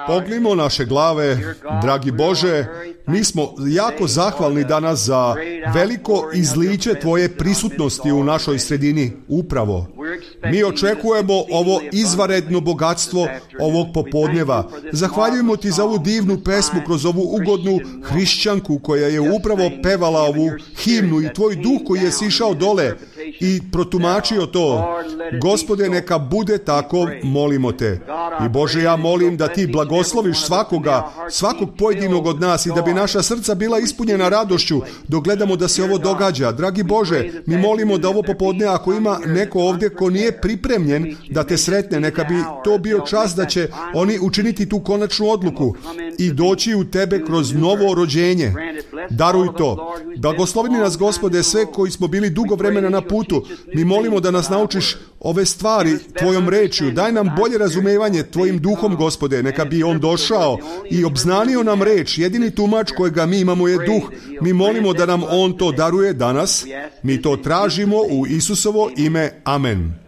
Pognimo naše glave, dragi Bože, mi smo jako zahvalni danas za veliko izliće Tvoje prisutnosti u našoj sredini upravo. Mi očekujemo ovo izvanredno bogatstvo ovog popodneva. Zahvaljujemo Ti za ovu divnu pesmu kroz ovu ugodnu hrišćanku koja je upravo pevala ovu himnu i Tvoj duh koji je sišao dole i protumačio to. Gospode, neka bude tako, molimo Te. I Bože, ja molim da Ti blagosloviš svakog pojedinog od nas i da bi naša srca bila ispunjena radošću dok gledamo da se ovo događa. Dragi Bože, mi molimo da ovo popodne, ako ima neko ovdje ko nije pripremljen da Te sretne, neka bi to bio čas da će oni učiniti tu konačnu odluku i doći u Tebe kroz novo rođenje. Daruj to. Blagoslovi nas, Gospode, sve koji smo bili dugo vremena na putu. Mi molimo da nas naučiš ove stvari Tvojom rečju. Daj nam bolje razumevanje Tvojim duhom, Gospode. Neka bi on došao i obznanio nam reč. Jedini tumač kojega mi imamo je duh. Mi molimo da nam on to daruje danas. Mi to tražimo u Isusovo ime. Amen.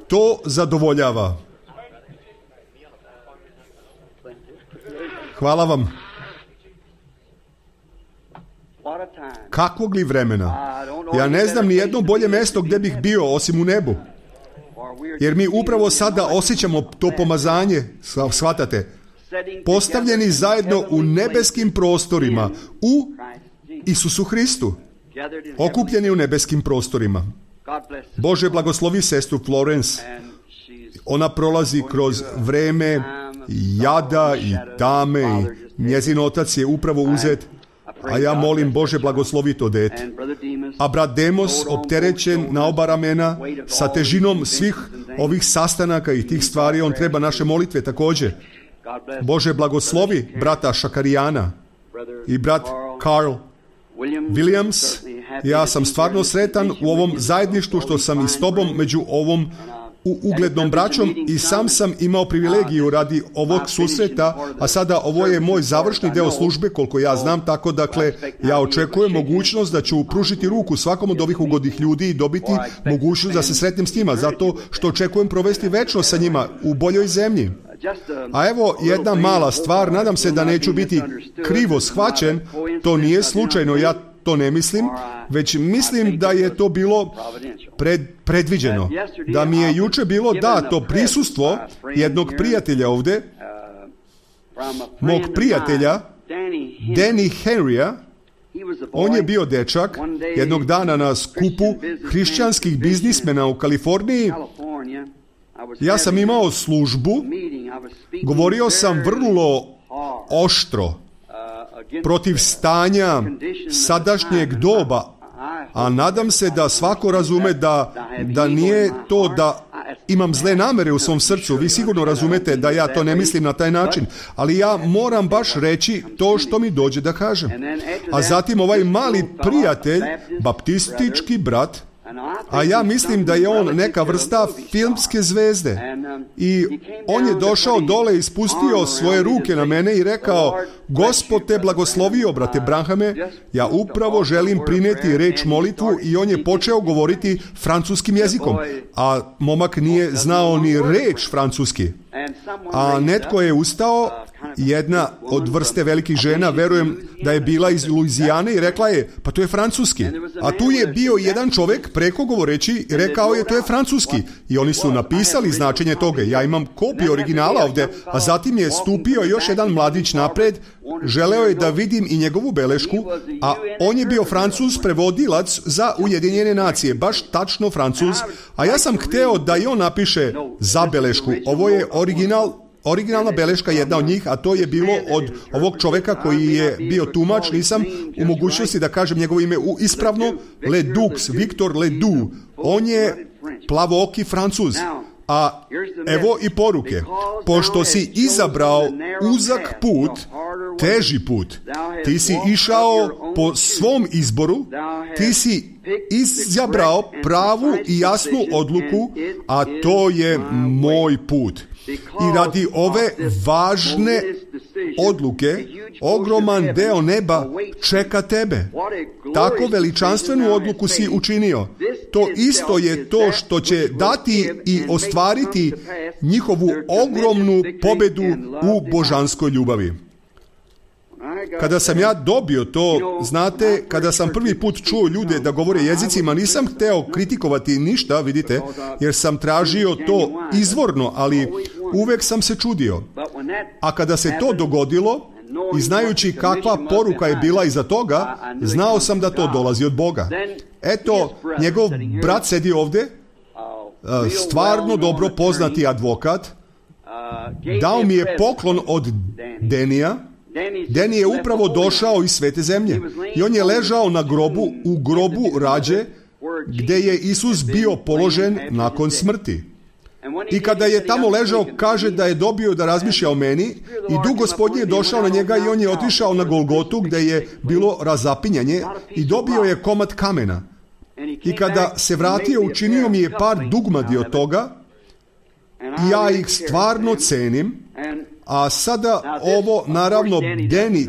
To zadovoljava. Hvala vam. Kakvog li vremena? Ja ne znam ni jedno bolje mjesto gdje bih bio osim u nebu. Jer mi upravo sada osjećamo to pomazanje, shvatate, postavljeni zajedno u nebeskim prostorima, u Isusu Hristu, okupljeni u nebeskim prostorima. Bože, blagoslovi sestru Florence. Ona prolazi kroz vreme jada i tame i njezin otac je upravo uzet. A ja molim, Bože, blagoslovi to dete. A brat Demos, opterećen na oba ramena, sa težinom svih ovih sastanaka i tih stvari, on treba naše molitve također. Bože, blagoslovi brata Šakarijana i brat Carl Williams. Ja sam stvarno sretan u ovom zajedništvu što sam i s Tobom među ovom uglednom braćom i sam imao privilegiju radi ovog susreta, a sada ovo je moj završni deo službe, koliko ja znam, tako dakle ja očekujem mogućnost da ću pružiti ruku svakom od ovih ugodnih ljudi i dobiti mogućnost da se sretnem s njima, zato što očekujem provesti večnost sa njima u boljoj zemlji. A evo jedna mala stvar, nadam se da neću biti krivo shvaćen, to nije slučajno, ja to ne mislim, već mislim da je to bilo predviđeno. Da mi je juče bilo dato prisustvo jednog prijatelja ovdje, mog prijatelja, Danny Henrya. On je bio dečak jednog dana na skupu hrišćanskih biznismena u Kaliforniji. Ja sam imao službu, govorio sam vrlo oštro protiv stanja sadašnjeg doba, a nadam se da svako razume da nije to da imam zle namere u svom srcu. Vi sigurno razumete da ja to ne mislim na taj način, ali ja moram baš reći to što mi dođe da kažem. A zatim ovaj mali prijatelj, baptistički brat, a ja mislim da je on neka vrsta filmske zvezde. I on je došao dole i spustio svoje ruke na mene i rekao: Gospod te blagoslovio, brate Branhame, ja upravo želim prinijeti reč molitvu, i on je počeo govoriti francuskim jezikom. A momak nije znao ni reč francuski. A netko je ustao, jedna od vrste velikih žena, verujem da je bila iz Luizijane, i rekla je: pa to je francuski. A tu je bio jedan čovjek preko govoreći i rekao je: to je francuski. I oni su napisali značenje toga. Ja imam kopiju originala ovdje. A zatim je stupio još jedan mladić napred, želeo je da vidim i njegovu belešku, a on je bio Francuz, prevodilac za Ujedinjene nacije, baš tačno Francuz. A ja sam hteo da i on napiše zabelešku. Ovo je originalna beleška, jedna od njih, a to je bilo od ovog čovjeka koji je bio tumač. Nisam u mogućnosti da kažem njegovo ime ispravno. Ledoux, Victor Ledoux. On je plavooki Francuz. A evo i poruke. Pošto si izabrao uzak put, teži put, ti si išao po svom izboru, ti si izabrao pravu i jasnu odluku, a to je moj put. I radi ove važne odluke, ogroman deo neba čeka tebe. Tako veličanstvenu odluku si učinio. To isto je to što će dati i ostvariti njihovu ogromnu pobedu u božanskoj ljubavi. Kada sam ja dobio to, znate, kada sam prvi put čuo ljude da govore jezicima, nisam hteo kritikovati ništa, vidite, jer sam tražio to izvorno, ali uvek sam se čudio. A kada se to dogodilo, i znajući kakva poruka je bila iza toga, znao sam da to dolazi od Boga. Eto, njegov brat sedi ovde, stvarno dobro poznati advokat, dao mi je poklon od Denija. Deni je upravo došao iz svete zemlje i on je ležao na grobu, u grobu rađe, gde je Isus bio položen nakon smrti. I kada je tamo ležao, kaže da je dobio da razmišlja o meni i Duh Gospodnji je došao na njega i on je otišao na Golgotu gde je bilo razapinjanje i dobio je komad kamena. I kada se vratio, učinio mi je par dugmadi od toga i ja ih stvarno cenim. A sada ovo, naravno, Deni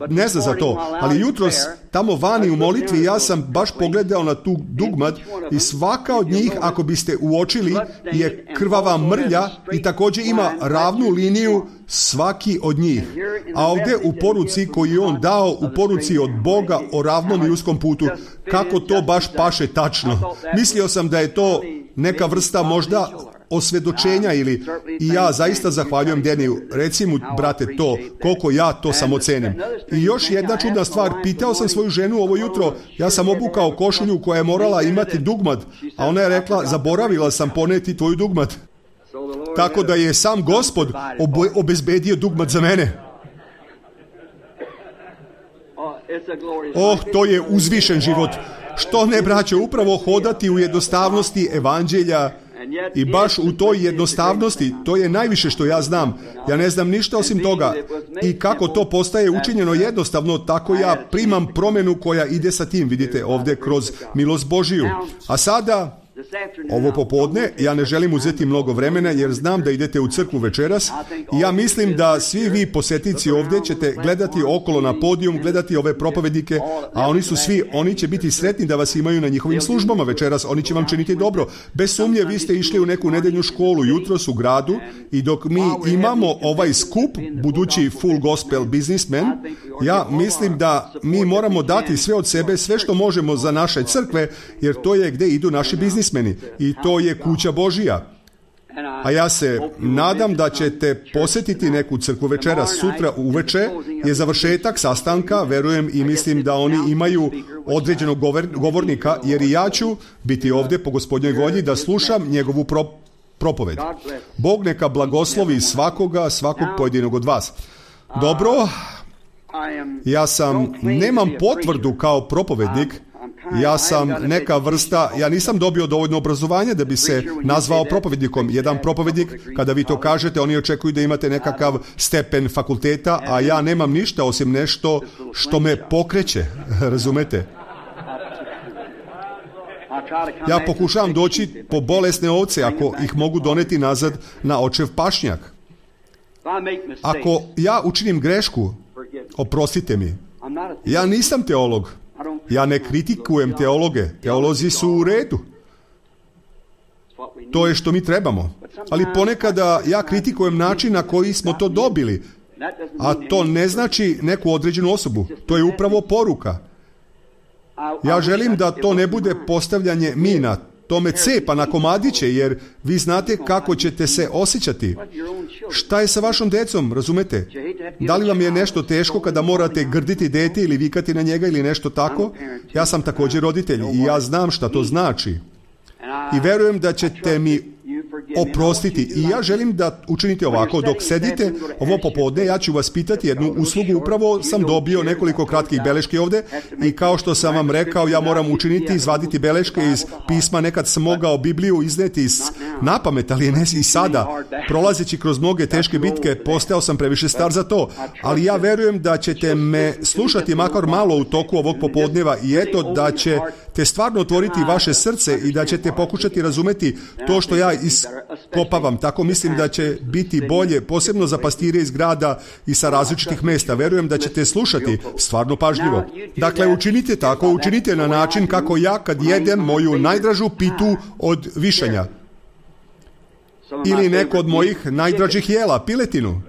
ne zna za to, ali jutros tamo vani u molitvi ja sam baš pogledao na tu dugmad i svaka od njih, ako biste uočili, je krvava mrlja i također ima ravnu liniju svaki od njih. A ovdje u poruci koju je on dao, u poruci od Boga o ravnom i uskom putu, kako to baš paše tačno. Mislio sam da je to neka vrsta možda osvjedočenja i ja zaista zahvaljujem Deniju. Reci mu, brate, to, koliko ja to samo cenim. I još jedna čudna stvar, pitao sam svoju ženu ovo jutro, ja sam obukao košulju koja je morala imati dugmad, a ona je rekla, zaboravila sam poneti tvoju dugmad. Tako da je sam Gospod obezbedio dugmad za mene. To je uzvišen život. Što ne, braćo, upravo hodati u jednostavnosti evanđelja. I baš u toj jednostavnosti, to je najviše što ja znam. Ja ne znam ništa osim toga. I kako to postaje učinjeno jednostavno, tako ja primam promjenu koja ide sa tim, vidite, ovdje kroz milost Božiju. A sada, ovo popodne, ja ne želim uzeti mnogo vremena jer znam da idete u crkvu večeras i ja mislim da svi vi posjetnici ovdje ćete gledati okolo na podijum, gledati ove propovednike, a oni će biti sretni da vas imaju na njihovim službama večeras, oni će vam činiti dobro. Bez sumnje vi ste išli u neku nedeljnu školu jutros u gradu i dok mi imamo ovaj skup, budući full gospel businessman, ja mislim da mi moramo dati sve od sebe, sve što možemo za naše crkve, jer to je gdje idu naši biznismeni i to je kuća Božija. A ja se nadam da ćete posjetiti neku crkvu večeras. Sutra uveče je završetak sastanka, verujem i mislim da oni imaju određenog govornika, jer i ja ću biti ovdje po Gospodnjoj volji da slušam njegovu propoved. Bog neka blagoslovi svakog pojedinog od vas. Dobro, ja nemam potvrdu kao propovednik, ja sam neka vrsta, ja nisam dobio dovoljno obrazovanja da bi se nazvao propovednikom. Jedan propovednik, kada vi to kažete, oni očekuju da imate nekakav stepen fakulteta, a ja nemam ništa osim nešto što me pokreće, razumete? Ja pokušavam doći po bolesne ovce, ako ih mogu doneti nazad na očev pašnjak. Ako ja učinim grešku, oprostite mi. Ja nisam teolog. Ja ne kritikujem teologe. Teolozi su u redu. To je što mi trebamo. Ali ponekada ja kritikujem način na koji smo to dobili. A to ne znači neku određenu osobu. To je upravo poruka. Ja želim da to ne bude postavljanje mina. To me cepa na komadiće, jer vi znate kako ćete se osjećati. Šta je sa vašom decom, razumete? Da li vam je nešto teško kada morate grditi dete ili vikati na njega ili nešto tako? Ja sam također roditelj i ja znam šta to znači. I verujem da ćete mi oprostiti. I ja želim da učinite ovako. Dok sedite ovo popodne, ja ću vas pitati jednu uslugu. Upravo sam dobio nekoliko kratkih beleški ovdje i kao što sam vam rekao, ja moram učiniti, izvaditi beleške iz pisma. Nekad sam mogao Bibliju izneti na pamet, ali ne i sada. Prolazeći kroz mnoge teške bitke, postao sam previše star za to. Ali ja verujem da ćete me slušati makar malo u toku ovog popodneva i eto da ćete stvarno otvoriti vaše srce i da ćete pokušati razumeti to što ja iskopavam. Tako mislim da će biti bolje, posebno za pastire iz grada i sa različitih mesta. Verujem da ćete slušati stvarno pažljivo. Dakle, učinite tako, učinite na način kako ja kad jedem moju najdražu pitu od višanja. Ili neko od mojih najdražih jela, piletinu.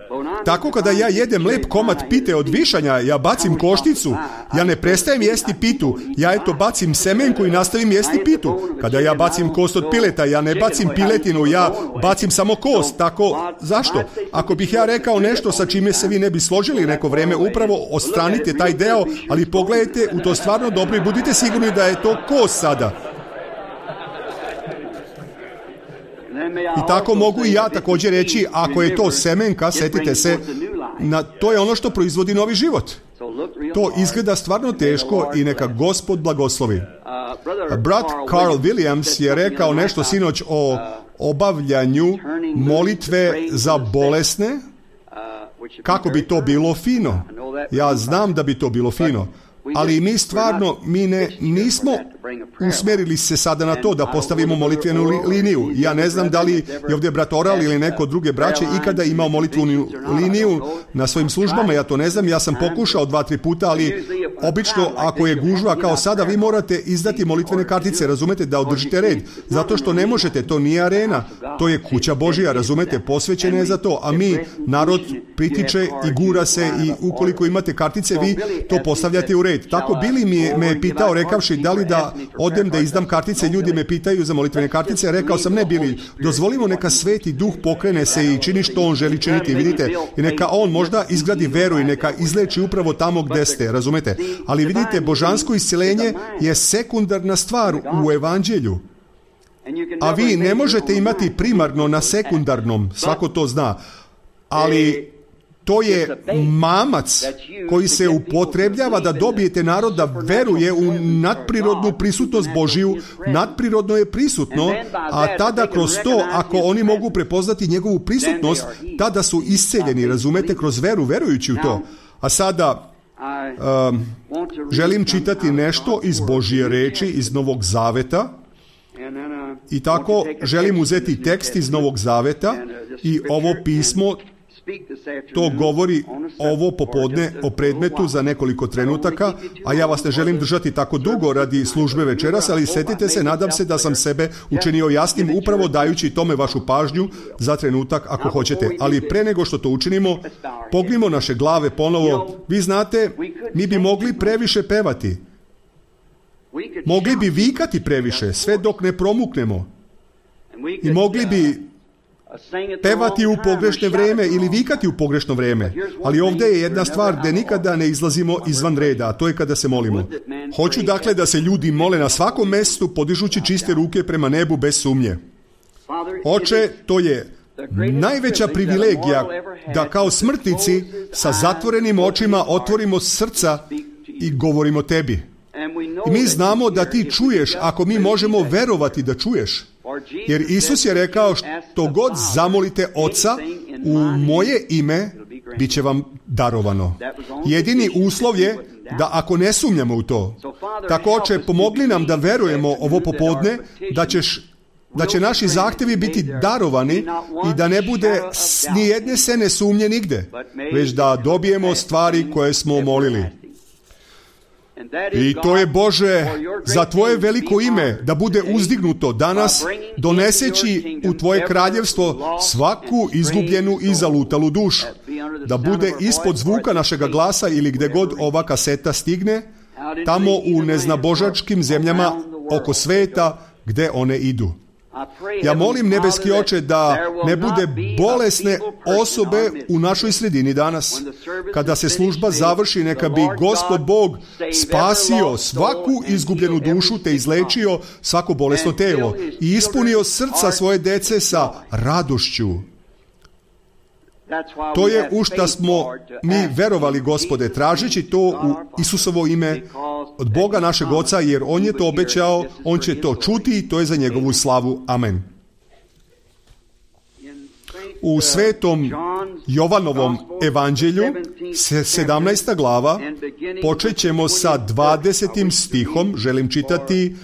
Tako kada ja jedem lep komad pite od višanja, ja bacim košticu, ja ne prestajem jesti pitu, ja bacim semenku i nastavim jesti pitu. Kada ja bacim kost od pileta, ja ne bacim piletinu, ja bacim samo kost. Tako, zašto? Ako bih ja rekao nešto sa čime se vi ne bi složili neko vreme, upravo odstranite taj deo, ali pogledajte u to stvarno dobro i budite sigurni da je to kost sada. I tako mogu i ja također reći, ako je to semenka, setite se, to je ono što proizvodi novi život. To izgleda stvarno teško i neka Gospod blagoslovi. Brat Carl Williams je rekao nešto sinoć o obavljanju molitve za bolesne, kako bi to bilo fino. Ja znam da bi to bilo fino. Ali mi stvarno, nismo usmjerili se sada na to da postavimo molitvenu liniju. Ja ne znam da li je ovdje brat Oral ili neko druge braće ikada imao molitvenu liniju na svojim službama, ja to ne znam, ja sam pokušao 2-3 puta, ali obično ako je gužva kao sada, vi morate izdati molitvene kartice, razumete, da održite red, zato što ne možete, to nije arena, to je kuća Božja, razumete, posvećena je za to, a mi, narod pritiče i gura se i ukoliko imate kartice, vi to postavljate u red. Tako Billy me je pitao rekavši da li da odem da izdam kartice, ljudi me pitaju za molitvene kartice, rekao sam ne Billy, dozvolimo neka Sveti Duh pokrene se i čini što on želi činiti, vidite, i neka on možda izgradi veru i neka izleči upravo tamo gde ste, razumete, ali vidite, božansko isceljenje je sekundarna stvar u evanđelju, a vi ne možete imati primarno na sekundarnom, svako to zna, ali to je mamac koji se upotrebljava da dobijete narod da veruje u nadprirodnu prisutnost Božiju. Nadprirodno je prisutno, a tada kroz to, ako oni mogu prepoznati njegovu prisutnost, tada su isceljeni, razumete, kroz veru, verujući u to. A sada želim čitati nešto iz Božje reči, iz Novog Zaveta. I tako želim uzeti tekst iz Novog Zaveta i ovo pismo to govori ovo popodne o predmetu za nekoliko trenutaka, a ja vas ne želim držati tako dugo radi službe večeras, ali setite se, nadam se da sam sebe učinio jasnim upravo dajući tome vašu pažnju za trenutak ako hoćete. Ali pre nego što to učinimo, pognimo naše glave ponovo. Vi znate, mi bi mogli previše pevati. Mogli bi vikati previše, sve dok ne promuknemo. I mogli bi pevati u pogrešno vrijeme ili vikati u pogrešno vrijeme. Ali ovdje je jedna stvar gdje nikada ne izlazimo izvan reda, a to je kada se molimo. Hoću dakle da se ljudi mole na svakom mjestu podižući čiste ruke prema nebu bez sumnje. Oče, to je najveća privilegija da kao smrtnici sa zatvorenim očima otvorimo srca i govorimo tebi. I mi znamo da ti čuješ ako mi možemo verovati da čuješ. Jer Isus je rekao što god zamolite Oca u moje ime, bit će vam darovano. Jedini uslov je da ako ne sumnjamo u to. Tako, Oče, pomogli nam da verujemo ovo popodne da će naši zahtjevi biti darovani i da ne bude ni jedne sene sumnje nigde, već da dobijemo stvari koje smo molili. I to je, Bože, za Tvoje veliko ime da bude uzdignuto danas, doneseći u Tvoje kraljevstvo svaku izgubljenu i zalutalu dušu, da bude ispod zvuka našega glasa ili gde god ova kaseta stigne, tamo u neznabožačkim zemljama oko sveta gde one idu. Ja molim, nebeski Oče, da ne bude bolesne osobe u našoj sredini danas. Kada se služba završi, neka bi Gospod Bog spasio svaku izgubljenu dušu te izlečio svako bolesno telo i ispunio srca svoje dece sa radošću. To je u šta smo mi verovali, Gospode, tražeći to u Isusovo ime od Boga našeg Oca, jer On je to obećao, On će to čuti i to je za njegovu slavu. Amen. u svetom Jovanovom evanđelju, 17. glava, počet ćemo sa 20. stihom, želim čitati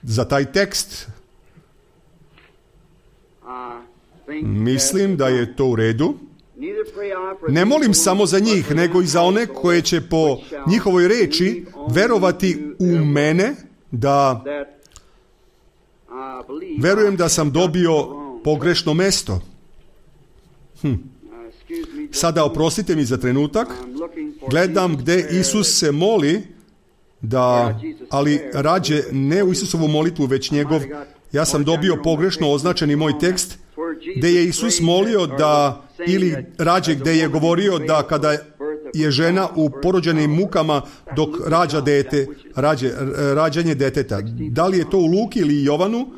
za taj tekst. Mislim da je to u redu. Ne molim samo za njih, nego i za one koje će po njihovoj reči verovati u mene, da verujem da sam dobio pogrešno mesto. Sada oprostite mi za trenutak. Gledam gde Isus se moli, ali rađe ne u Isusovu molitvu, već njegov. Ja sam dobio pogrešno označeni moj tekst, gde je Isus molio da, ili rađe gde je govorio da kada je žena u porođenim mukama dok rađa dete, rađanje deteta. Da li je to u Luki ili Jovanu?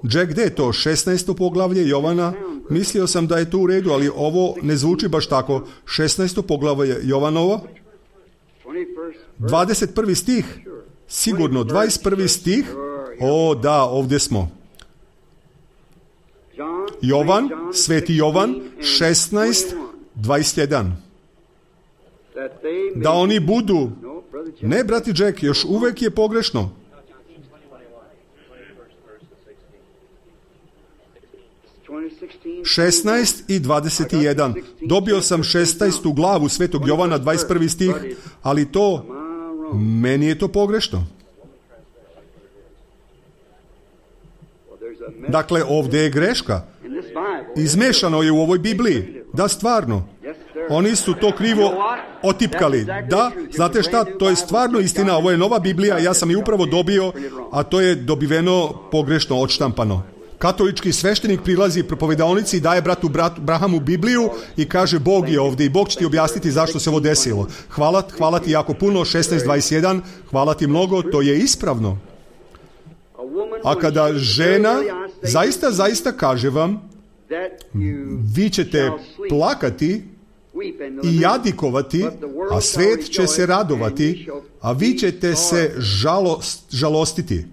Jack, gde je to? 16. poglavlje Jovana? Mislio sam da je to u redu, ali ovo ne zvuči baš tako. 16. poglavlje Jovanovo. 21. stih. Sigurno, 21. stih. O, da, ovdje smo. Jovan, sveti Jovan, 16:21. Da oni budu... Ne, brati Jack, još uvek je pogrešno. Šesnaest i 21. Dobio sam 16. glavu svetog Jovana, 21. stih, ali to, meni je to pogrešno. Dakle, ovdje je greška. Izmešano je u ovoj Bibliji. Da, stvarno. Oni su to krivo otipkali. Da, znate šta, to je stvarno istina. Ovo je nova Biblija, ja sam je upravo dobio, a to je dobiveno pogrešno odštampano. Katolički sveštenik prilazi propovedaonici i daje bratu Brahamu Bibliju i kaže Bog je ovdje i Bog će ti objasniti zašto se ovo desilo. Hvala ti jako puno, 16:21, hvala ti mnogo, to je ispravno. A kada žena, zaista kaže vam, vi ćete plakati i jadikovati, a svet će se radovati, a vi ćete se žalostiti.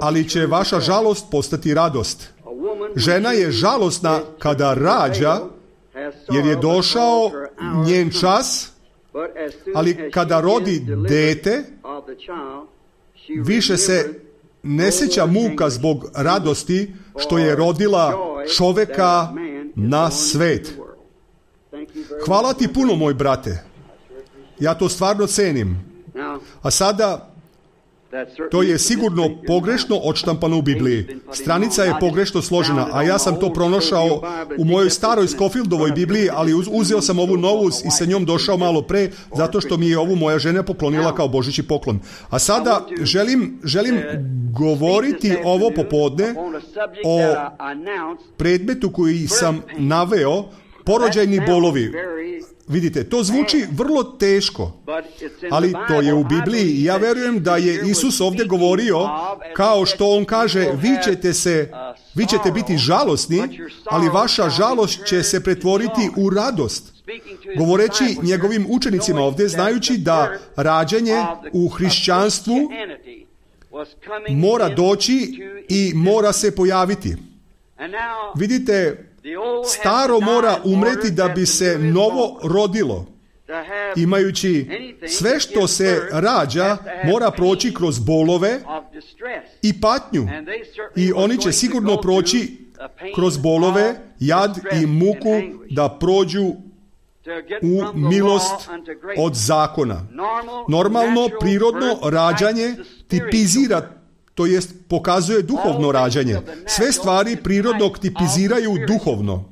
Ali će vaša žalost postati radost. Žena je žalosna kada rađa, jer je došao njen čas, ali kada rodi dete, više se ne sjeća muka zbog radosti što je rodila čoveka na svet. Hvala ti puno, moj brate. Ja to stvarno cenim. A sada, to je sigurno pogrešno odštampano u Bibliji. Stranica je pogrešno složena, a ja sam to pronašao u mojoj staroj Scofieldovoj Bibliji, ali uzeo sam ovu novu i sa njom došao malo pre, zato što mi je ovu moja žena poklonila kao božićni poklon. A sada želim govoriti ovo popodne o predmetu koji sam naveo, porođajni bolovi. Vidite, to zvuči vrlo teško, ali to je u Bibliji i ja verujem da je Isus ovdje govorio kao što on kaže, vi ćete biti žalosni, ali vaša žalost će se pretvoriti u radost. Govoreći njegovim učenicima ovdje, znajući da rađanje u hrišćanstvu mora doći i mora se pojaviti. Vidite, staro mora umreti da bi se novo rodilo. Imajući sve što se rađa, mora proći kroz bolove i patnju. I oni će sigurno proći kroz bolove, jad i muku da prođu u milost od zakona. Normalno, prirodno rađanje tipizira, to jest pokazuje duhovno rađanje. Sve stvari prirodnog tipiziraju duhovno.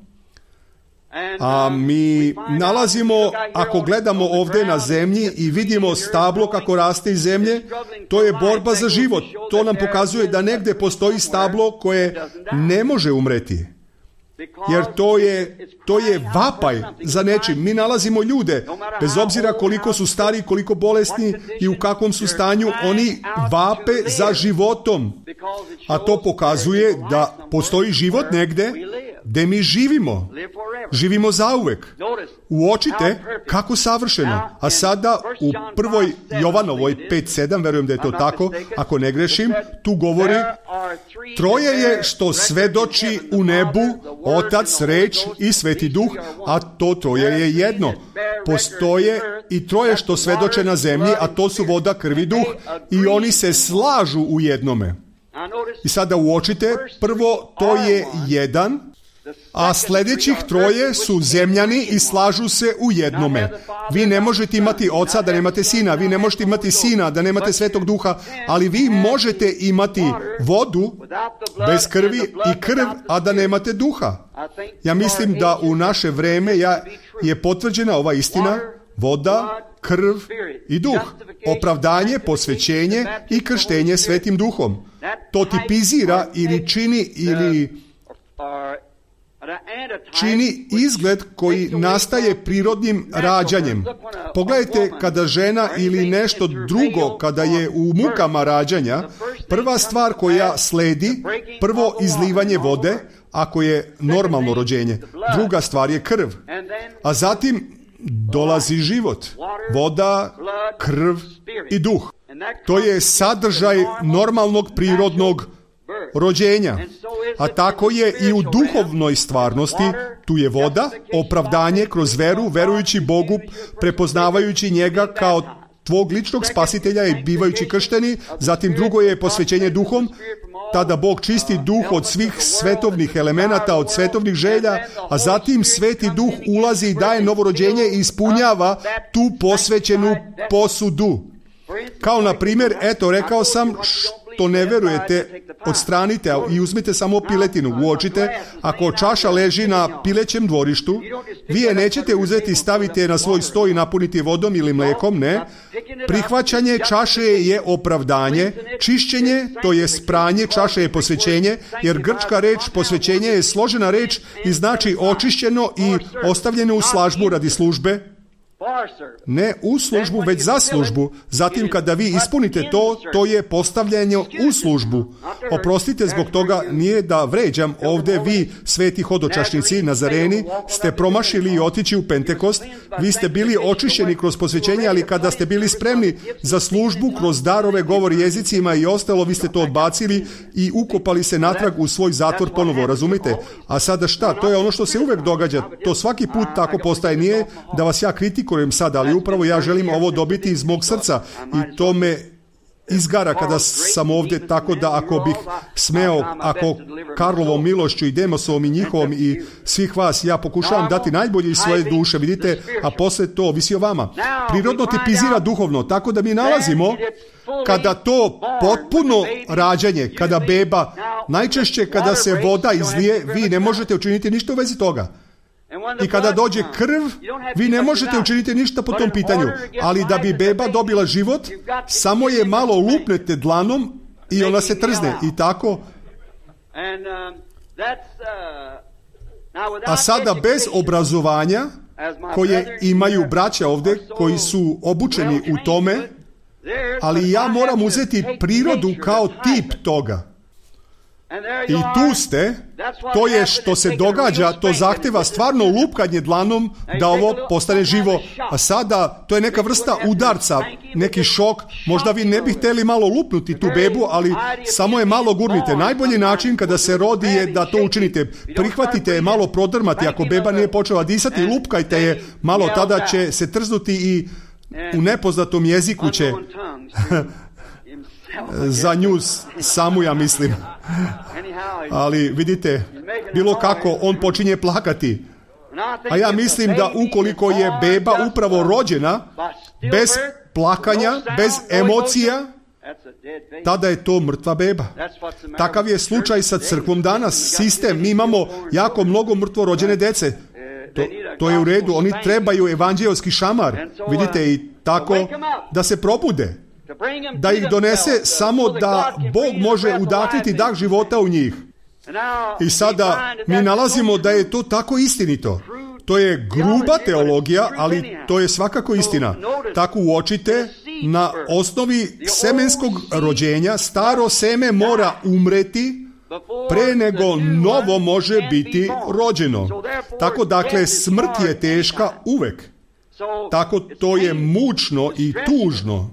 A mi nalazimo, ako gledamo ovdje na zemlji i vidimo stablo kako raste iz zemlje, to je borba za život. To nam pokazuje da negdje postoji stablo koje ne može umreti. Jer to je vapaj za nečim. Mi nalazimo ljude, bez obzira koliko su stari, koliko bolesni i u kakvom su stanju, oni vape za životom. A to pokazuje da postoji život negde gde mi živimo. Živimo zauvek. Uočite kako savršeno. A sada u 1. Jovanovoj 5:7, verujem da je to tako, ako ne grešim, tu govori: troje je što svedoči u nebu, Otac, Reč i Sveti Duh, a to troje je jedno. Postoje i troje što svedoče na zemlji, a to su voda, krv i duh. I oni se slažu u jednome. I sada uočite, prvo to je jedan, a sljedećih troje su zemljani i slažu se u jednome. Vi ne možete imati oca da nemate sina, vi ne možete imati sina da nemate Svetog Duha, ali vi možete imati vodu bez krvi i krv, a da nemate duha. Ja mislim da u naše vreme je potvrđena ova istina: voda, krv i duh, opravdanje, posvećenje i krštenje Svetim Duhom. To tipizira ili čini izgled koji nastaje prirodnim rađanjem. Pogledajte, kada žena ili nešto drugo, kada je u mukama rađanja, prva stvar koja sledi, prvo izlivanje vode, ako je normalno rođenje. Druga stvar je krv. A zatim dolazi život. Voda, krv i duh. To je sadržaj normalnog prirodnog rođenja. A tako je i u duhovnoj stvarnosti. Tu je voda, opravdanje kroz veru, verujući Bogu, prepoznavajući njega kao tvog ličnog spasitelja i bivajući kršteni. Zatim drugo je posvećenje duhom. Tada Bog čisti duh od svih svetovnih elemenata, od svetovnih želja, a zatim Sveti Duh ulazi i daje novorođenje i ispunjava tu posvećenu posudu. Kao na primjer, eto, rekao sam, što ne verujete, odstranite i uzmite samo piletinu. Uočite, ako čaša leži na pilećem dvorištu, vi je nećete uzeti, stavite je na svoj sto i napuniti vodom ili mlekom, ne. Prihvaćanje čaše je opravdanje, čišćenje, to je pranje čaše je posvećenje, jer grčka reč posvećenje je složena reč i znači očišćeno i ostavljeno u slažbu radi službe. Ne u službu, već za službu. Zatim kada vi ispunite to, to je postavljanje u službu. Oprostite zbog toga, nije da vređam ovdje, vi sveti hodočašnici, Nazareni, ste promašili i otići u Pentekost. Vi ste bili očišćeni kroz posvećenje, ali kada ste bili spremni za službu kroz darove, govor jezicima i ostalo, vi ste to odbacili i ukopali se natrag u svoj zatvor ponovo, razumite? A sada šta? To je ono što se uvek događa. To svaki put tako postaje. Nije da vas ja kritikujem sada, ali upravo ja želim ovo dobiti iz mog srca i to me izgara kada sam ovdje, tako da ako bih smeo, ako Karlovom milošću i Demosovom i njihovom i svih vas, ja pokušavam dati najbolje iz svoje duše, vidite, a posle to ovisi o vama. Prirodno tipizira duhovno, tako da mi nalazimo kada to potpuno rađanje, kada beba, najčešće kada se voda izlije, vi ne možete učiniti ništa u vezi toga. I kada dođe krv, vi ne možete učiniti ništa po tom pitanju, ali da bi beba dobila život, samo je malo lupnete dlanom i ona se trzne i tako. A sada bez obrazovanja, koje imaju braća ovdje, koji su obučeni u tome, ali ja moram uzeti prirodu kao tip toga. I tu ste, to je što se događa, to zahteva stvarno lupkanje dlanom da ovo postane živo. A sada, to je neka vrsta udarca, neki šok. Možda vi ne bi htjeli malo lupnuti tu bebu, ali samo je malo gurnite. Najbolji način kada se rodi je da to učinite. Prihvatite je malo prodrmati, ako beba nije počela disati, lupkajte je malo, tada će se trznuti i u nepoznatom jeziku će... za nju samu, ja mislim. Ali vidite, bilo kako, on počinje plakati. A ja mislim da ukoliko je beba upravo rođena, bez plakanja, bez emocija, tada je to mrtva beba. Takav je slučaj sa crkvom danas. Sistem, mi imamo jako mnogo mrtvorođene dece. To je u redu, oni trebaju evanđelski šamar. Vidite, i tako da se probude. Da ih donese samo da Bog može udahniti dah života u njih. I sada mi nalazimo da je to tako istinito. To je gruba teologija, ali to je svakako istina. Tako uočite, na osnovi semenskog rođenja staro seme mora umreti pre nego novo može biti rođeno. Tako dakle, smrt je teška uvek. Tako to je mučno i tužno.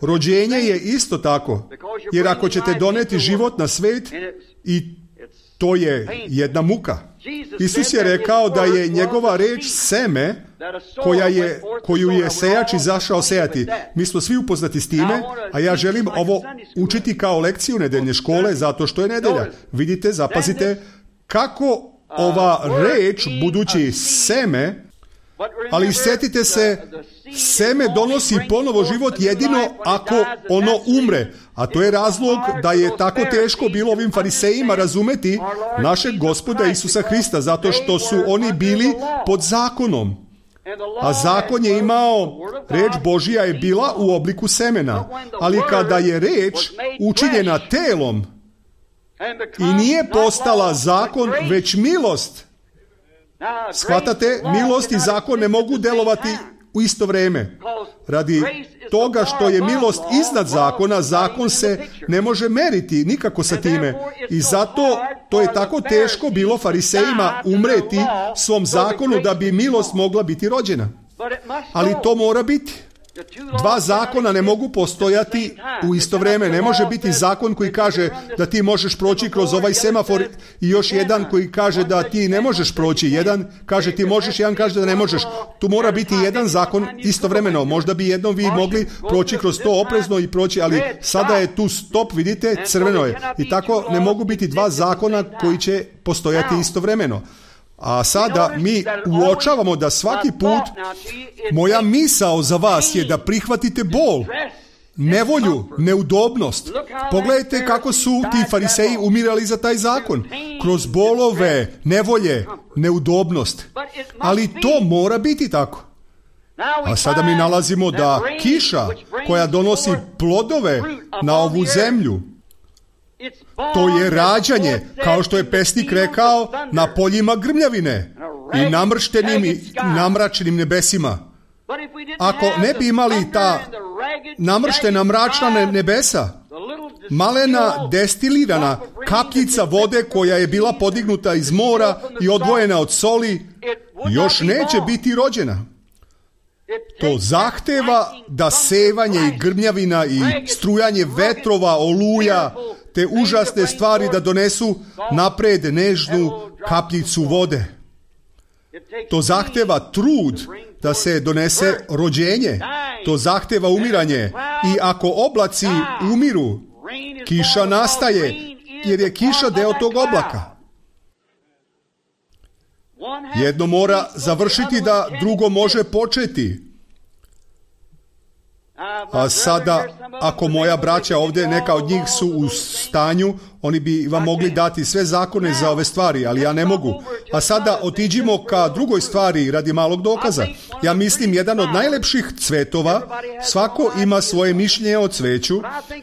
Rođenje je isto tako, jer ako ćete doneti život na svet, i to je jedna muka. Isus je rekao da je njegova reč seme koju je sejač izašao sejati. Mi smo svi upoznati s time, a ja želim ovo učiti kao lekciju nedeljne škole zato što je nedelja. Vidite, zapazite kako ova reč, budući seme, ali sjetite se, seme donosi ponovo život jedino ako ono umre. A to je razlog da je tako teško bilo ovim farisejima razumeti našeg Gospoda Isusa Hrista, zato što su oni bili pod zakonom. A zakon je imao, reč Božja je bila u obliku semena. Ali kada je reč učinjena telom i nije postala zakon, već milost, shvatate, milost i zakon ne mogu delovati u isto vrijeme. Radi toga što je milost iznad zakona, zakon se ne može meriti nikako sa time. I zato to je tako teško bilo farisejima umreti svom zakonu da bi milost mogla biti rođena. Ali to mora biti. Dva zakona ne mogu postojati u isto vrijeme. Ne može biti zakon koji kaže da ti možeš proći kroz ovaj semafor i još jedan koji kaže da ti ne možeš proći. Jedan kaže ti možeš, jedan kaže da ne možeš. Tu mora biti jedan zakon istovremeno. Možda bi jednom vi mogli proći kroz to oprezno i proći, ali sada je tu stop, vidite, crveno je. I tako ne mogu biti dva zakona koji će postojati istovremeno. A sada mi uočavamo da svaki put moja misao za vas je da prihvatite bol, nevolju, neudobnost. Pogledajte kako su ti fariseji umirali za taj zakon. Kroz bolove, nevolje, neudobnost. Ali to mora biti tako. A sada mi nalazimo da kiša koja donosi plodove na ovu zemlju, to je rađanje, kao što je pesnik rekao, na poljima grmljavine i namrštenim i namračenim nebesima. Ako ne bi imali ta namrštena mračna nebesa, malena destilirana kapljica vode koja je bila podignuta iz mora i odvojena od soli, još neće biti rođena. To zahteva da sevanje i grmljavina i strujanje vetrova, oluja, te užasne stvari da donesu napred nežnu kapljicu vode. To zahteva trud da se donese rođenje. To zahteva umiranje. I ako oblaci umiru, kiša nastaje, jer je kiša deo tog oblaka. Jedno mora završiti da drugo može početi. A sada, ako moja braća ovdje, neka od njih su u stanju, oni bi vam mogli dati sve zakone za ove stvari, ali ja ne mogu. A sada otiđimo ka drugoj stvari radi malog dokaza. Ja mislim jedan od najlepših cvetova, svako ima svoje mišljenje o cveću,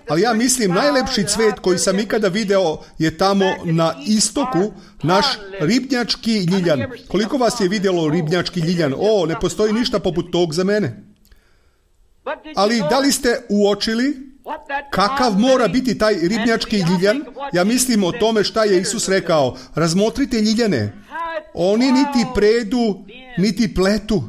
ali ja mislim najlepši cvet koji sam ikada video je tamo na istoku, naš ribnjački ljiljan. Koliko vas je vidjelo ribnjački ljiljan? O, ne postoji ništa poput tog za mene. Ali da li ste uočili kakav mora biti taj ribnjački ljiljan? Ja mislim o tome šta je Isus rekao. Razmotrite ljiljane. Oni niti predu, niti pletu.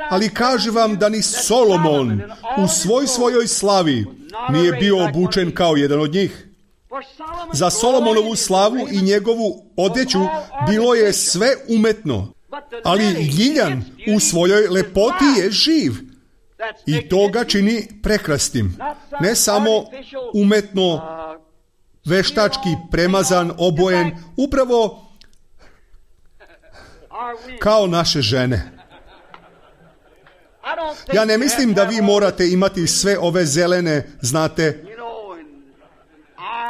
Ali kaže vam da ni Solomon u svojoj slavi nije bio obučen kao jedan od njih. Za Solomonovu slavu i njegovu odeću bilo je sve umetno. Ali ljiljan u svojoj lepoti je živ. I to ga čini prekrasnim. Ne samo umetno, veštački premazan, obojen, upravo kao naše žene. Ja ne mislim da vi morate imati sve ove zelene, znate,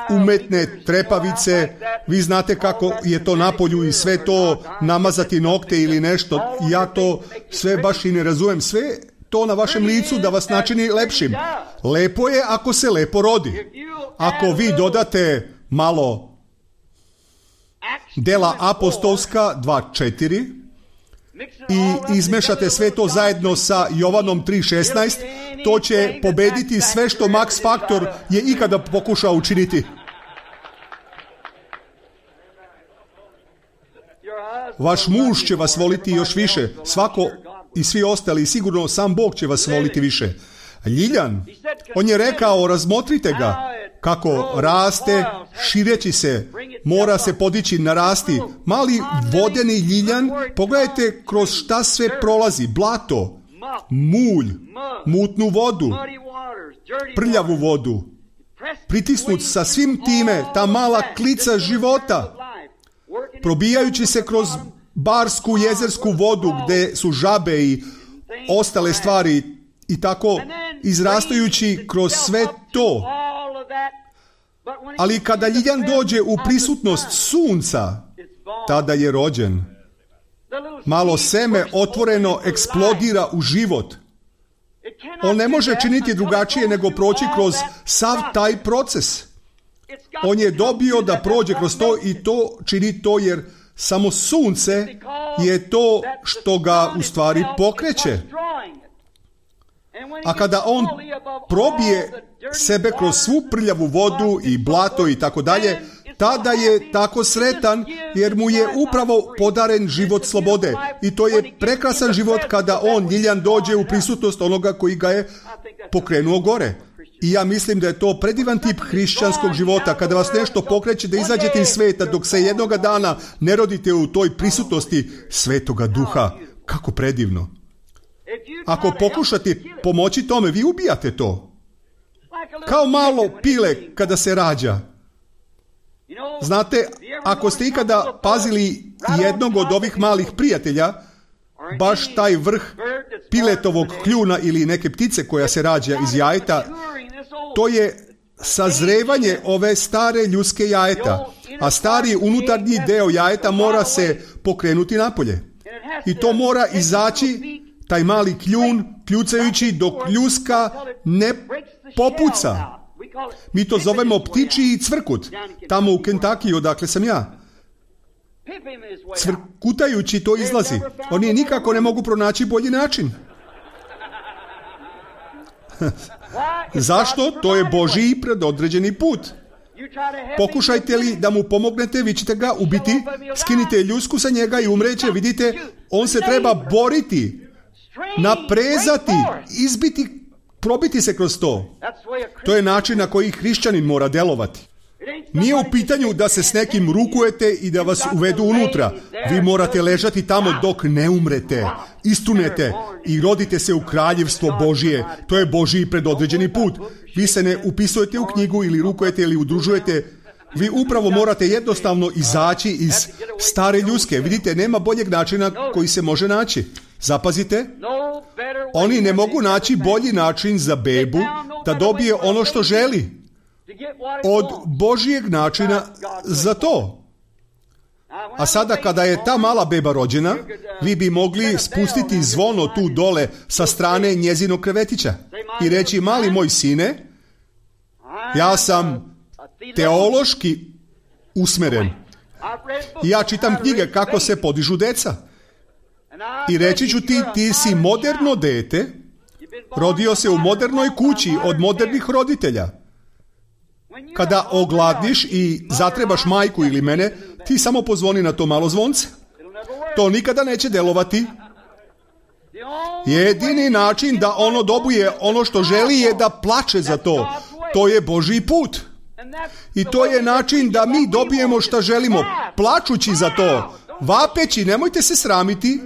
umetne trepavice, vi znate kako je to napolju i sve to namazati nokte ili nešto. Ja to sve baš i ne razumem. Sve to na vašem licu da vas načini lepšim. Lepo je ako se lepo rodi. Ako vi dodate malo dela apostolska 2.4 i izmešate sve to zajedno sa Jovanom 3.16, to će pobediti sve što Max Factor je ikada pokušao učiniti. Vaš muž će vas voliti još više. Svako i svi ostali, sigurno sam Bog će vas voliti više. Ljiljan, on je rekao, razmotrite ga, kako raste, šireći se, mora se podići, narasti. Mali vodeni ljiljan, pogledajte kroz šta sve prolazi. Blato, mulj, mutnu vodu, prljavu vodu. Pritisnut sa svim time, ta mala klica života, probijajući se kroz barsku jezersku vodu gdje su žabe i ostale stvari i tako izrastajući kroz sve to. Ali kada ljiljan dođe u prisutnost sunca, tada je rođen. Malo seme otvoreno eksplodira u život. On ne može činiti drugačije nego proći kroz sav taj proces. On je dobio da prođe kroz to i to čini to jer samo sunce je to što ga u stvari pokreće. A kada on probije sebe kroz svu prljavu vodu i blato i tako dalje, tada je tako sretan jer mu je upravo podaren život slobode. I to je prekrasan život kada on, ljiljan, dođe u prisutnost onoga koji ga je pokrenuo gore. I ja mislim da je to predivan tip hrišćanskog života, kada vas nešto pokreće da izađete iz sveta dok se jednoga dana ne rodite u toj prisutnosti Svetoga Duha. Kako predivno. Ako pokušate pomoći tome, vi ubijate to. Kao malo pile kada se rađa. Znate, ako ste ikada pazili jednog od ovih malih prijatelja, baš taj vrh piletovog kljuna ili neke ptice koja se rađa iz jajeta, to je sazrevanje ove stare ljudske jajeta, a stari unutarnji deo jajeta mora se pokrenuti napolje. I to mora izaći, taj mali kljun, kljucajući dok ljuska ne popuca. Mi to zovemo ptičji cvrkut, tamo u Kentucky, odakle sam ja. Cvrkutajući to izlazi. Oni nikako ne mogu pronaći bolji način. Zašto? To je Božji predodređeni put. Pokušajte li da mu pomognete, vi ćete ga ubiti, skinite ljusku sa njega i umreće, vidite, on se treba boriti, naprezati, izbiti, probiti se kroz to. To je način na koji hrišćanin mora delovati. Nije u pitanju da se s nekim rukujete i da vas uvedu unutra. Vi morate ležati tamo dok ne umrete, istunete i rodite se u kraljevstvo Božije. To je Božji predodređeni put. Vi se ne upisujete u knjigu ili rukujete ili udružujete. Vi upravo morate jednostavno izaći iz stare ljuske. Vidite, nema boljeg načina koji se može naći. Zapazite, oni ne mogu naći bolji način za bebu da dobije ono što želi od Božijeg načina za to. A sada kada je ta mala beba rođena, vi bi mogli spustiti zvono tu dole sa strane njezinog krevetića i reći, mali moj sine, ja sam teološki usmeren. I ja čitam knjige kako se podižu deca. I reći ću ti si moderno dete, rodio se u modernoj kući od modernih roditelja. Kada ogladniš i zatrebaš majku ili mene, ti samo pozvoni na to malo zvonce. To nikada neće delovati. Jedini način da ono dobije ono što želi je da plače za to. To je Božji put. I to je način da mi dobijemo što želimo, plačući za to, vapeći, nemojte se sramiti.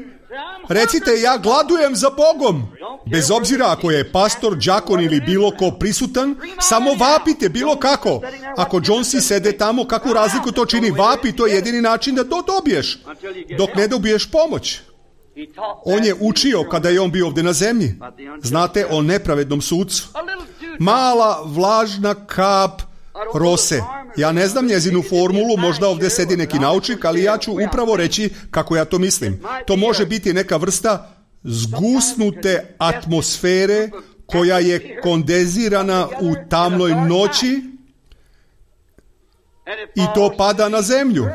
Recite, ja gladujem za Bogom. Bez obzira ako je pastor, đakon ili bilo ko prisutan, samo vapite bilo kako. Ako Jonesi sede tamo, kakvu razliku to čini? Vapi, to je jedini način da to dobiješ, dok ne dobiješ pomoć. On je učio kada je on bio ovdje na zemlji. Znate o nepravednom sucu. Mala vlažna kap rose. Ja ne znam njezinu formulu, možda ovdje sedi neki naučnik, ali ja ću upravo reći kako ja to mislim. To može biti neka vrsta zgusnute atmosfere koja je kondenzirana u tamnoj noći i to pada na zemlju.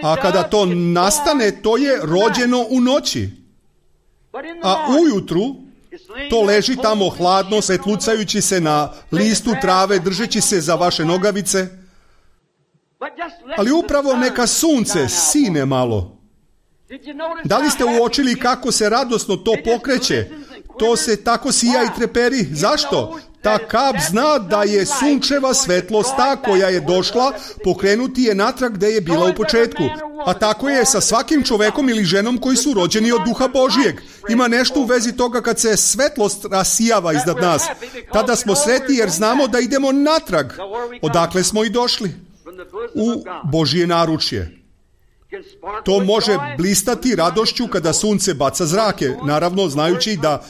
A kada to nastane, to je rođeno u noći. A ujutru to leži tamo hladno, svetlucajući se na listu trave, držeći se za vaše nogavice. Ali upravo neka sunce sine malo. Da li ste uočili kako se radosno to pokreće? To se tako sija i treperi. Zašto? Ta kap zna da je sunčeva svetlost ta koja je došla pokrenuti je natrag gde je bila u početku. A tako je sa svakim čovekom ili ženom koji su rođeni od Duha Božijeg. Ima nešto u vezi toga kad se svetlost rasijava iznad nas. Tada smo sretni jer znamo da idemo natrag. Odakle smo i došli? U Božije naručje. To može blistati radošću kada sunce baca zrake, naravno znajući da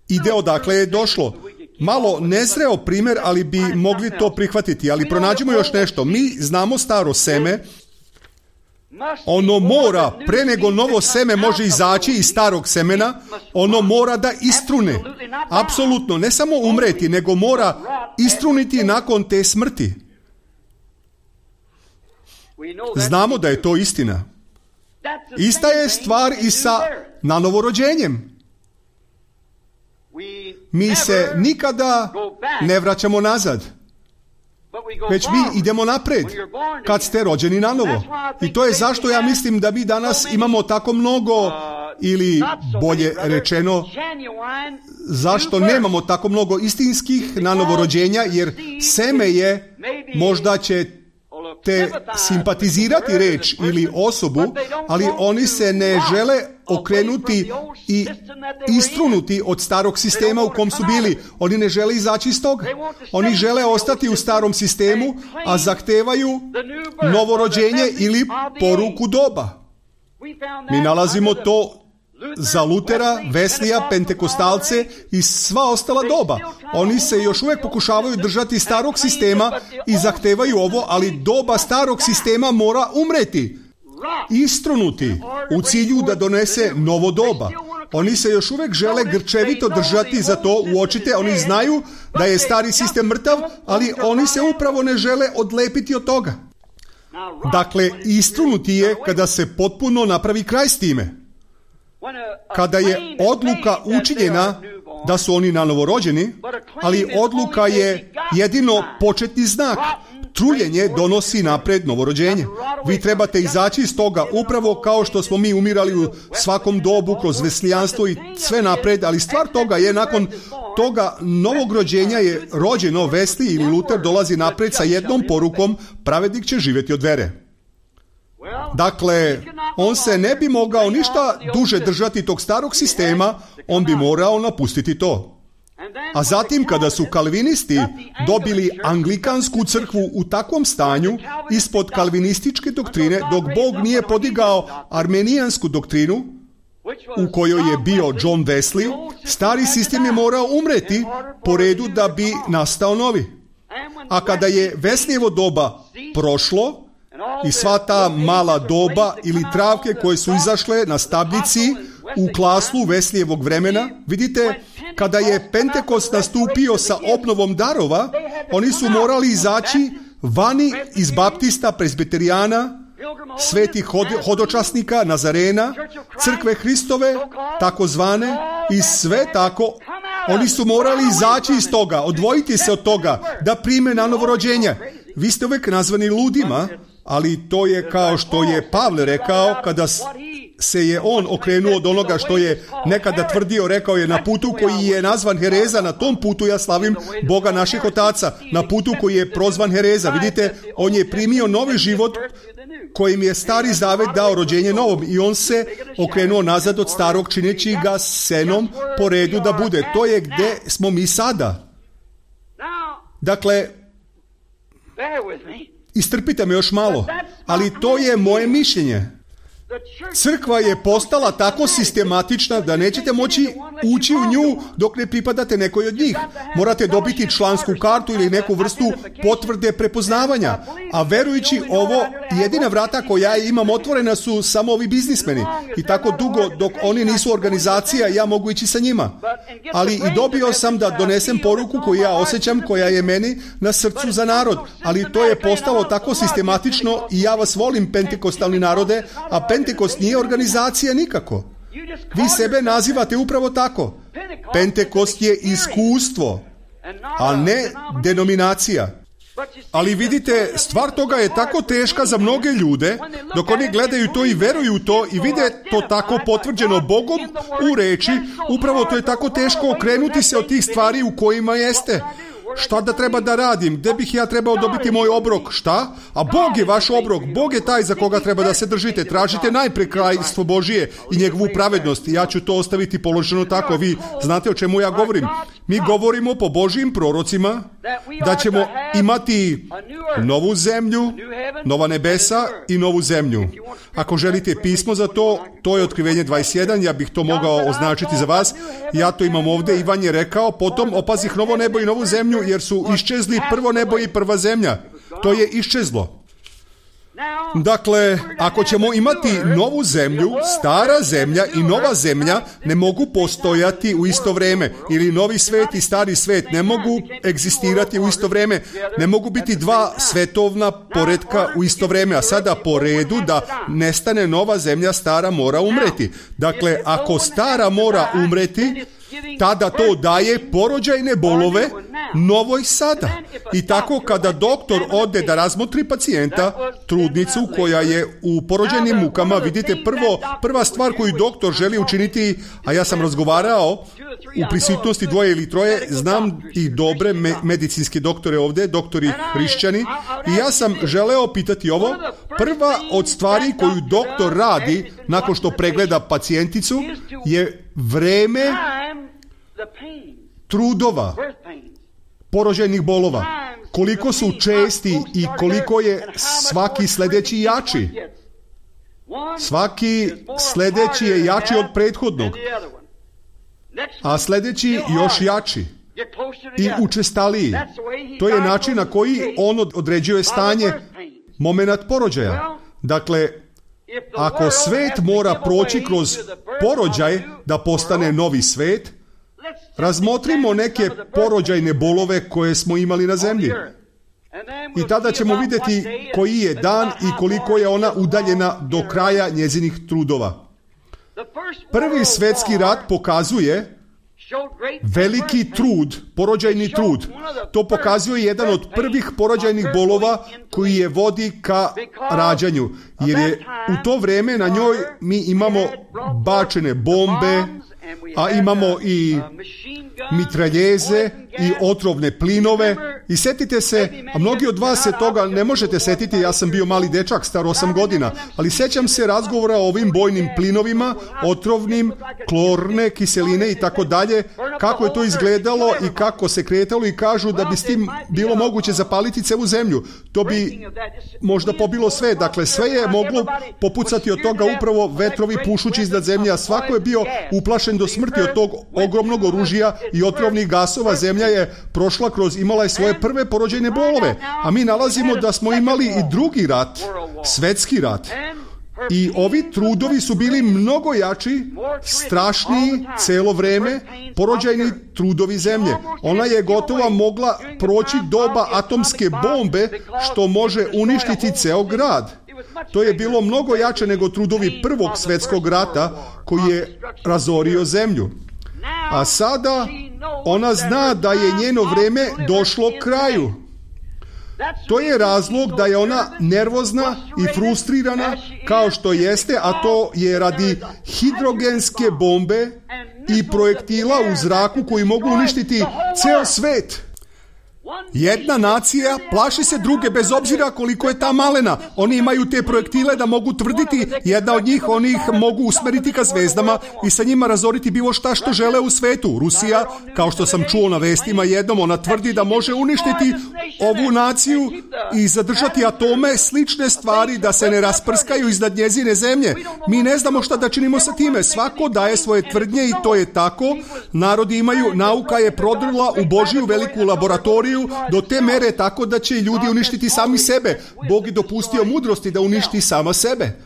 ide odakle je došlo. Malo nezreo primjer, ali bi mogli to prihvatiti, ali pronađemo još nešto. Mi znamo staro seme, ono mora, pre nego novo seme može izaći iz starog semena, ono mora da istrune. Apsolutno, ne samo umreti, nego mora istruniti nakon te smrti. Znamo da je to istina. Ista je stvar i sa nanovorođenjem. Mi se nikada ne vraćamo nazad, već mi idemo napred kad ste rođeni nanovo. I to je zašto ja mislim da mi danas imamo tako mnogo, ili bolje rečeno, zašto nemamo tako mnogo istinskih nanovorođenja, jer seme je, možda će te simpatizirati reč ili osobu, ali oni se ne žele okrenuti i istrunuti od starog sistema u kom su bili. Oni ne žele izaći iz toga. Oni žele ostati u starom sistemu, a zahtevaju novorođenje ili poruku doba. Mi nalazimo to za Lutera, Veslija, Pentekostalce i sva ostala doba. Oni se još uvijek pokušavaju držati starog sistema i zahtevaju ovo, ali doba starog sistema mora umreti, istrunuti u cilju da donese novo doba. Oni se još uvijek žele grčevito držati za to, uočite, oni znaju da je stari sistem mrtav, ali oni se upravo ne žele odlepiti od toga. Dakle, istrunuti je kada se potpuno napravi kraj s time. Kada je odluka učinjena da su oni nanovorođeni, ali odluka je jedino početni znak. Truljenje donosi napred novorođenje. Vi trebate izaći iz toga upravo kao što smo mi umirali u svakom dobu kroz veslijanstvo i sve napred, ali stvar toga je nakon toga novog rođenja je rođeno. Vesli ili Luter dolazi napred sa jednom porukom: pravednik će živjeti od vere. Dakle, on se ne bi mogao ništa duže držati tog starog sistema, on bi morao napustiti to. A zatim, kada su kalvinisti dobili anglikansku crkvu u takvom stanju, ispod kalvinističke doktrine, dok Bog nije podigao armenijansku doktrinu, u kojoj je bio John Wesley, stari sistem je morao umreti po redu da bi nastao novi. A kada je Wesleyjevo doba prošlo, i sva ta mala doba ili travke koje su izašle na stabljici u klaslu Wesleyjevog vremena, vidite, kada je Pentekost nastupio sa obnovom darova, oni su morali izaći vani iz baptista, presbiterijana, svetih hodočasnika, Nazarena, crkve Hristove, takozvane, i sve tako. Oni su morali izaći iz toga, odvojiti se od toga, da prime na novorođenje. Vi ste uvijek nazvani ludima, ali to je kao što je Pavle rekao kada se je on okrenuo od onoga što je nekada tvrdio, rekao je: na putu koji je nazvan hereza, na tom putu ja slavim Boga naših otaca. Na putu koji je prozvan hereza. Vidite, on je primio novi život kojim je stari zavet dao rođenje novom i on se okrenuo nazad od starog, čineći ga senom po redu da bude. To je gdje smo mi sada. Dakle, istrpite me još malo, ali to je moje mišljenje. Crkva je postala tako sistematična da nećete moći ući u nju dok ne pripadate nekoj od njih. Morate dobiti člansku kartu ili neku vrstu potvrde prepoznavanja. A verujući ovo, jedina vrata koja imam otvorena su samo ovi biznismeni. I tako dugo dok oni nisu organizacija, ja mogu ići sa njima. Ali i dobio sam da donesem poruku koju ja osjećam, koja je meni na srcu za narod. Ali to je postalo tako sistematično i ja vas volim, pentekostalni narode, a Pentekost nije organizacija nikako. Vi sebe nazivate upravo tako. Pentekost je iskustvo, a ne denominacija. Ali vidite, stvar toga je tako teška za mnoge ljude, dok oni gledaju to i veruju u to i vide to tako potvrđeno Bogom u reči, upravo to je tako teško okrenuti se od tih stvari u kojima jeste. Šta da treba da radim? Gde bih ja trebao dobiti moj obrok? Šta? A Bog je vaš obrok. Bog je taj za koga treba da se držite. Tražite najpre kraljestvo Božije i njegovu pravednost. Ja ću to ostaviti položeno tako. Vi znate o čemu ja govorim. Mi govorimo po Božijim prorocima da ćemo imati novu zemlju, nova nebesa i novu zemlju. Ako želite pismo za to, to je Otkrivenje 21, ja bih to mogao označiti za vas. Ja to imam ovdje. Ivan je rekao, potom opazih novo nebo i novu zemlju, jer su iščezli prvo nebo i prva zemlja. To je iščezlo. Dakle, ako ćemo imati novu zemlju, stara zemlja i nova zemlja ne mogu postojati u isto vrijeme. Ili novi svet i stari svet ne mogu egzistirati u isto vrijeme. Ne mogu biti dva svetovna poretka u isto vrijeme. A sada po redu da nestane nova zemlja, stara mora umreti. Dakle, ako stara mora umreti, tada to daje porođajne bolove novoj sada. I tako kada doktor ode da razmotri pacijenta, trudnicu koja je u porođajnim mukama, vidite prva stvar koju doktor želi učiniti, a ja sam razgovarao u prisutnosti 2 ili 3, znam i dobre medicinske doktore ovdje, doktori hrišćani, i ja sam želeo pitati ovo. Prva od stvari koju doktor radi nakon što pregleda pacijenticu je vreme trudova, porođajnih bolova, koliko su česti i koliko je svaki sljedeći jači. Svaki sljedeći je jači od prethodnog, a sljedeći još jači i učestaliji. To je način na koji on određuje stanje, moment porođaja. Dakle, ako svet mora proći kroz porođaj da postane novi svet, razmotrimo neke porođajne bolove koje smo imali na zemlji. I tada ćemo vidjeti koji je dan i koliko je ona udaljena do kraja njezinih trudova. Prvi svjetski rat pokazuje veliki trud, porođajni trud. To pokazuje jedan od prvih porođajnih bolova koji je vodi ka rađanju. Jer je u to vrijeme na njoj mi imamo bačene bombe, a imamo i mitraljeze i otrovne plinove. I setite se, a mnogi od vas se toga ne možete setiti, ja sam bio mali dečak, star 8 godina, ali sećam se razgovora o ovim bojnim plinovima, otrovnim, klorne, kiseline i tako dalje, kako je to izgledalo i kako se kretalo, i kažu da bi s tim bilo moguće zapaliti celu zemlju. To bi možda pobilo sve, dakle sve je moglo popucati od toga, upravo vetrovi pušući iznad zemlje, a svako je bio uplašen do smrti od tog ogromnog oružja i otrovnih gasova. Zemlja je prošla kroz, imala je svoje prve porođajne bolove, a mi nalazimo da smo imali i drugi rat, svetski rat. I ovi trudovi su bili mnogo jači, strašniji celo vreme, porođajni trudovi zemlje. Ona je gotovo mogla proći doba atomske bombe, što može uništiti ceo grad. To je bilo mnogo jače nego trudovi prvog svjetskog rata koji je razorio zemlju. A sada ona zna da je njeno vrijeme došlo kraju. To je razlog da je ona nervozna i frustrirana kao što jeste, a to je radi hidrogenske bombe i projektila u zraku koji mogu uništiti ceo svet. Jedna nacija plaši se druge bez obzira koliko je ta malena. Oni imaju te projektile da mogu tvrditi, jedna od njih, oni ih mogu usmeriti ka zvezdama i sa njima razoriti bilo šta što žele u svetu. Rusija, kao što sam čuo na vestima jednom, ona tvrdi da može uništiti ovu naciju i zadržati atome, slične stvari da se ne rasprskaju iznad njezine zemlje. Mi ne znamo šta da činimo sa time. Svako daje svoje tvrdnje i to je tako. Narodi imaju, nauka je prodrla u Božiju veliku laboratoriju do te mere tako da će ljudi uništiti sami sebe. Bog je dopustio mudrosti da uništi sama sebe.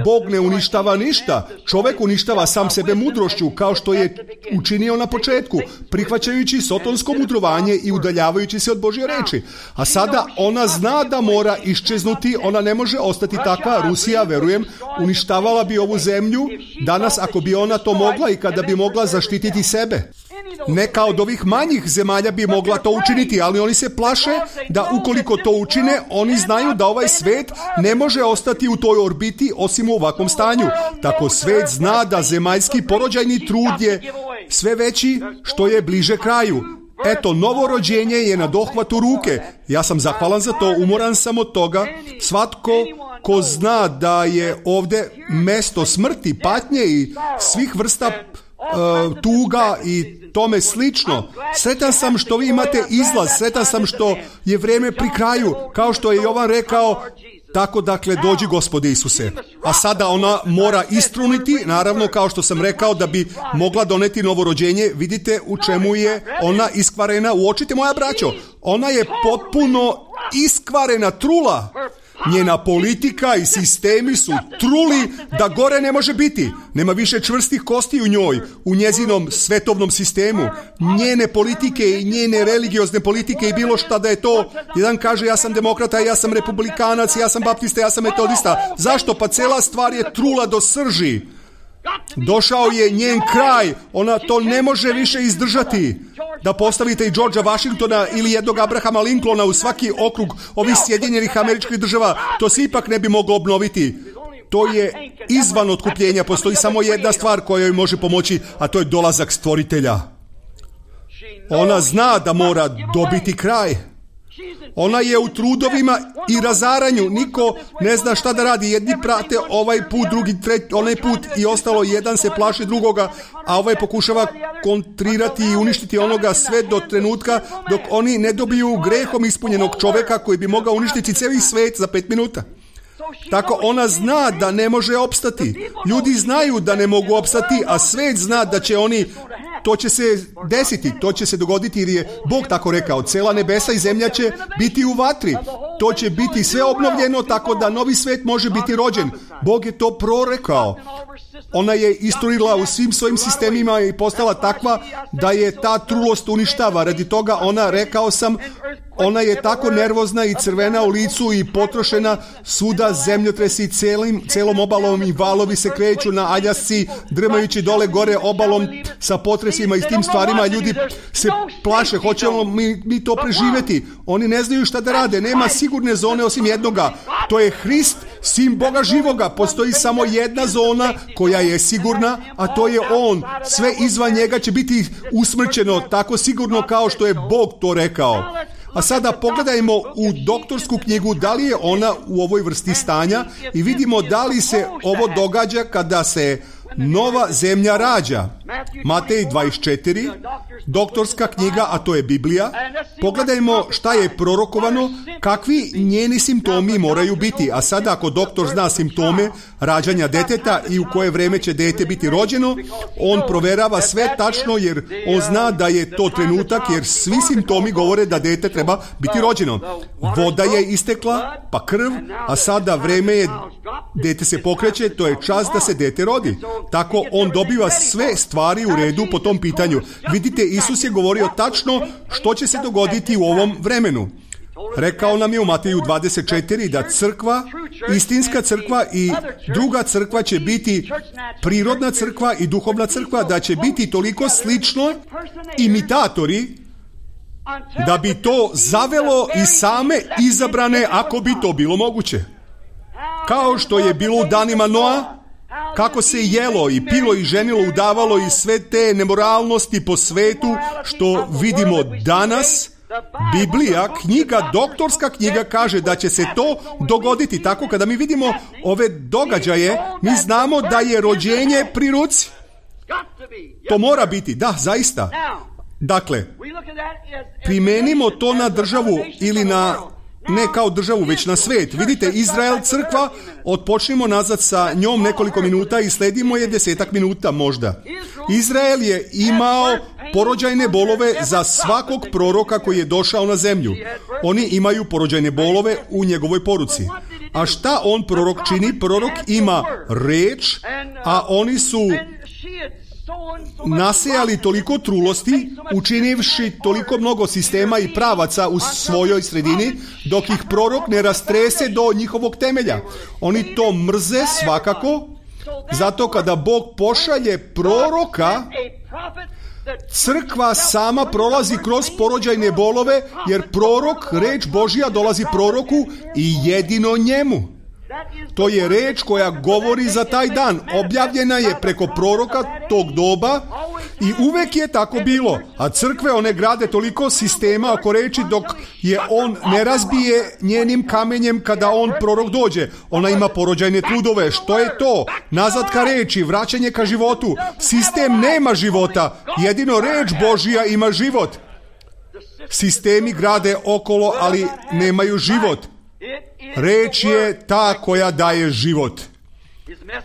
Bog ne uništava ništa. Čovjek uništava sam sebe mudrošću, kao što je učinio na početku, prihvaćajući sotonsko mudrovanje i udaljavajući se od Božje reči. A sada ona zna da mora iščeznuti, ona ne može ostati takva. Rusija, verujem, uništavala bi ovu zemlju danas ako bi ona to mogla i kada bi mogla zaštititi sebe. Neka od ovih manjih zemalja bi mogla to učiniti, ali oni se plaše da ukoliko to učine, oni znaju da ovaj svet ne može ostati u toj orbiti osim u ovakvom stanju. Tako svet zna da zemaljski porođajni trud je sve veći što je bliže kraju. Eto, novo rođenje je na dohvatu ruke. Ja sam zahvalan za to, umoran sam od toga. Svatko ko zna da je ovdje mesto smrti, patnje i svih vrsta tuga i tome slično. Sretan sam što vi imate izlaz, sretan sam što je vrijeme pri kraju, kao što je Jovan rekao. Tako, dakle, dođi Gospode Isuse. A sada ona mora istruniti, naravno, kao što sam rekao, da bi mogla doneti novorođenje. Vidite u čemu je ona iskvarena. Uočite, moja braćo, ona je potpuno iskvarena, trula. Njena politika i sistemi su truli da gore ne može biti. Nema više čvrstih kosti u njoj, u njezinom svetovnom sistemu. Njene politike i njene religiozne politike i bilo šta da je to. Jedan kaže ja sam demokrata, ja sam republikanac, ja sam baptista, ja sam metodista. Zašto? Pa cela stvar je trula do srži. Došao je njen kraj, ona to ne može više izdržati. Da postavite i Georgea Washingtona ili jednog Abrahama Lincolna u svaki okrug ovih Sjedinjenih Američkih Država, to se ipak ne bi moglo obnoviti. To je izvan otkupljenja, postoji samo jedna stvar koja joj može pomoći, a to je dolazak Stvoritelja. Ona zna da mora dobiti kraj. Ona je u trudovima i razaranju. Niko ne zna šta da radi. Jedni prate ovaj put, drugi onaj put i ostalo. Jedan se plaši drugoga, a ovaj pokušava kontrirati i uništiti onoga sve do trenutka dok oni ne dobiju grehom ispunjenog čoveka koji bi mogao uništiti cijeli svet za 5 minuta. Tako ona zna da ne može opstati. Ljudi znaju da ne mogu opstati, a svet zna da će oni, to će se desiti, to će se dogoditi jer je Bog tako rekao. Cela nebesa i zemlja će biti u vatri. To će biti sve obnovljeno tako da novi svet može biti rođen. Bog je to prorekao. Ona je isturila u svim svojim sistemima i postala takva da je ta trulost uništava. Radi toga ona, rekao sam, ona je tako nervozna i crvena u licu i potrošena, svuda zemljotresi celom obalom i valovi se kreću na aljasci, drmajući dole gore obalom sa potresima i s tim stvarima. Ljudi se plaše, hoćemo mi to preživjeti. Oni ne znaju šta da rade, nema sigurne zone osim jednoga. To je Hrist, sin Boga živoga. Postoji samo jedna zona koja je sigurna, a to je On. Sve izvan njega će biti usmrćeno, tako sigurno kao što je Bog to rekao. A sada pogledajmo u doktorsku knjigu da li je ona u ovoj vrsti stanja i vidimo da li se ovo događa kada se nova zemlja rađa. Matej 24, doktorska knjiga, a to je Biblija. Pogledajmo šta je prorokovano, kakvi njeni simptomi moraju biti. A sada ako doktor zna simptome rađanja deteta i u koje vreme će dete biti rođeno, on proverava sve tačno jer on zna da je to trenutak jer svi simptomi govore da dete treba biti rođeno. Voda je istekla, pa krv, a sada vreme je, dete se pokreće, to je čas da se dete rodi. Tako on dobiva sve stvari u redu po tom pitanju. Vidite, Isus je govorio tačno što će se dogoditi u ovom vremenu. Rekao nam je u Mateju 24 da crkva, istinska crkva i druga crkva će biti prirodna crkva i duhovna crkva, da će biti toliko slično imitatori da bi to zavelo i same izabrane ako bi to bilo moguće. Kao što je bilo u danima Noa, kako se jelo i pilo i ženilo, udavalo i sve te nemoralnosti po svetu što vidimo danas, Biblija, knjiga, doktorska knjiga kaže da će se to dogoditi. Tako kada mi vidimo ove događaje, mi znamo da je rođenje pri ruci. To mora biti, da, zaista. Dakle, primenimo to na državu ili na, ne kao državu, već na svet. Vidite, Izrael, crkva, odpočnimo nazad sa njom nekoliko minuta i sledimo je 10 minuta možda. Izrael je imao porođajne bolove za svakog proroka koji je došao na zemlju. Oni imaju porođajne bolove u njegovoj poruci. A šta on, prorok, čini? Prorok ima reč, a oni su nasejali toliko trulosti, učinivši toliko mnogo sistema i pravaca u svojoj sredini, dok ih prorok ne rastrese do njihovog temelja. Oni to mrze svakako, zato kada Bog pošalje proroka, Crkva sama prolazi kroz porođajne bolove, jer prorok, reč Božja dolazi proroku i jedino njemu. To je reč koja govori za taj dan. Objavljena je preko proroka tog doba i uvek je tako bilo. A crkve, one grade toliko sistema oko reči dok je on ne razbije njenim kamenjem kada on prorok dođe. Ona ima porođajne trudove. Što je to? Nazad ka reči, vraćanje ka životu. Sistem nema života. Jedino reč Božja ima život. Sistemi grade okolo, ali nemaju život. Reč je ta koja daje život.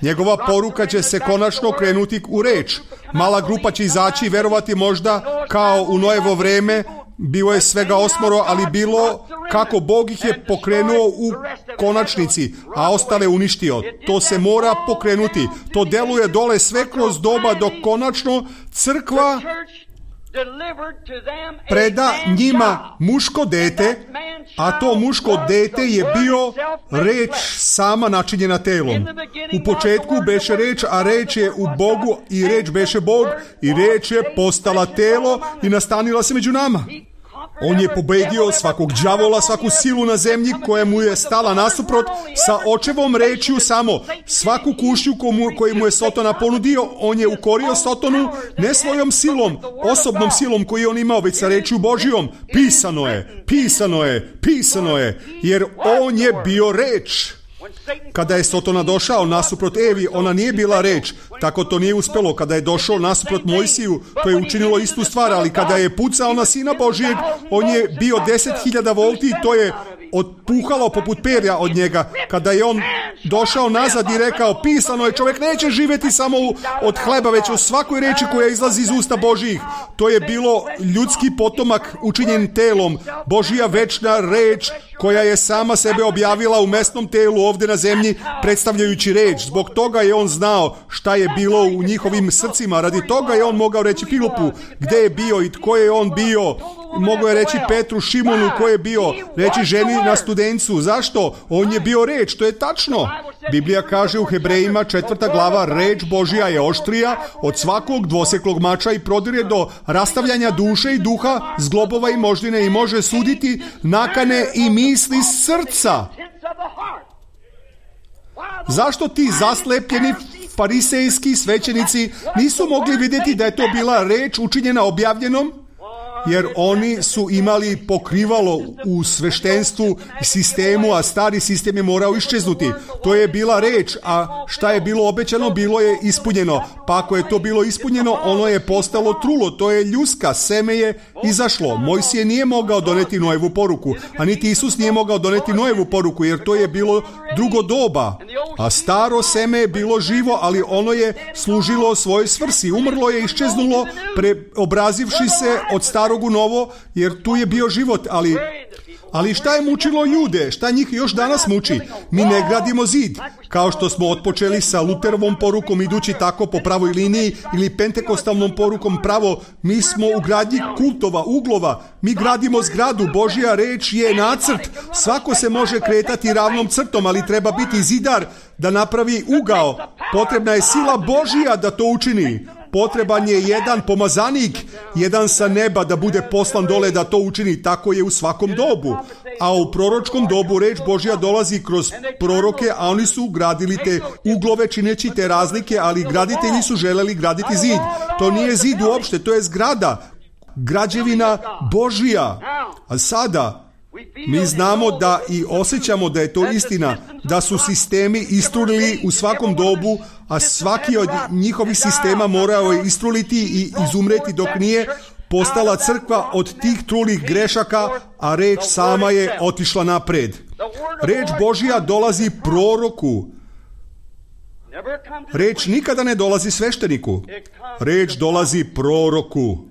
Njegova poruka će se konačno krenuti u reč. Mala grupa će izaći i verovati možda kao u Noevo vreme. Bilo je svega 8, ali bilo kako Bog ih je pokrenuo u konačnici, a ostale uništio. To se mora pokrenuti. To deluje dole sve kroz doba dok konačno crkva preda njima muško dete, a to muško dete je bio reč sama načinjena telom. U početku beše reč, a reč je u Bogu i reč beše Bog i reč je postala telo i nastanila se među nama. On je pobedio svakog đavola, svaku silu na zemlji koja mu je stala nasuprot sa očevom rečju samo. Svaku kušnju koju mu je Sotona ponudio, on je ukorio Sotonu ne svojom silom, osobnom silom koju je on imao, već sa rečju Božijom. Pisano je, pisano je, pisano je, jer on je bio reč. Kada je Sotona došao nasuprot Evi, ona nije bila reč, tako to nije uspelo. Kada je došao nasuprot Mojsiju, to je učinilo istu stvar, ali kada je pucao na Sina Božijeg, on je bio 10.000 volti i to je otpuhalo poput perja od njega. Kada je on došao nazad i rekao, pisano je, čovjek neće živjeti samo od hleba, već u svakoj reči koja izlazi iz usta Božijih. To je bilo ljudski potomak učinjen telom, Božija večna reč koja je sama sebe objavila u mesnom telu ovdje na zemlji, predstavljajući reč. Zbog toga je on znao šta je bilo u njihovim srcima. Radi toga je on mogao reći Filipu gdje je bio i tko je on bio. Mogao je reći Petru, Šimonu ko je bio, reći ženi na Studencu. Zašto? On je bio reč, to je tačno. Biblija kaže u Hebrejima 4. glava, reč Božja je oštrija od svakog dvoseklog mača i prodire do rastavljanja duše i duha, zglobova i moždine i može suditi nakane i misli srca. Zašto ti zaslepljeni farisejski svećenici nisu mogli vidjeti da je to bila reč učinjena objavljenom? Jer oni su imali pokrivalo u sveštenstvu i sistemu, a stari sistem je morao iščeznuti. To je bila reč, a šta je bilo obećano, bilo je ispunjeno. Pa ako je to bilo ispunjeno, ono je postalo trulo, to je ljuska, seme je izašlo. Mojsije nije mogao doneti Noevu poruku, a niti Isus nije mogao doneti Noevu poruku, jer to je bilo drugo doba. A staro seme je bilo živo, ali ono je služilo svojoj svrsi. Umrlo je, iščeznulo, preobrazivši se od starog u novo, jer tu je bio život, ali šta je mučilo ljude? Šta njih još danas muči? Mi ne gradimo zid, kao što smo otpočeli sa Luterovom porukom, idući tako po pravoj liniji, ili pentekostalnom porukom pravo. Mi smo u gradnji kultova, uglova. Mi gradimo zgradu. Božja reč je nacrt. Svako se može kretati ravnom crtom, ali treba biti zidar da napravi ugao. Potrebna je sila Božja da to učini. Potreban je jedan pomazanik, jedan sa neba da bude poslan dole da to učini. Tako je u svakom dobu. A u proročkom dobu reč Božja dolazi kroz proroke, a oni su gradili te uglove čineći te razlike, ali graditelji su želeli graditi zid. To nije zid uopšte, to je zgrada. Građevina Božja. A sada mi znamo da i osjećamo da je to istina, da su sistemi istrulili u svakom dobu, a svaki od njihovih sistema morao je istruliti i izumreti dok nije postala crkva od tih trulih grešaka, a reč sama je otišla napred. Reč Božja dolazi proroku. Reč nikada ne dolazi svešteniku. Reč dolazi proroku.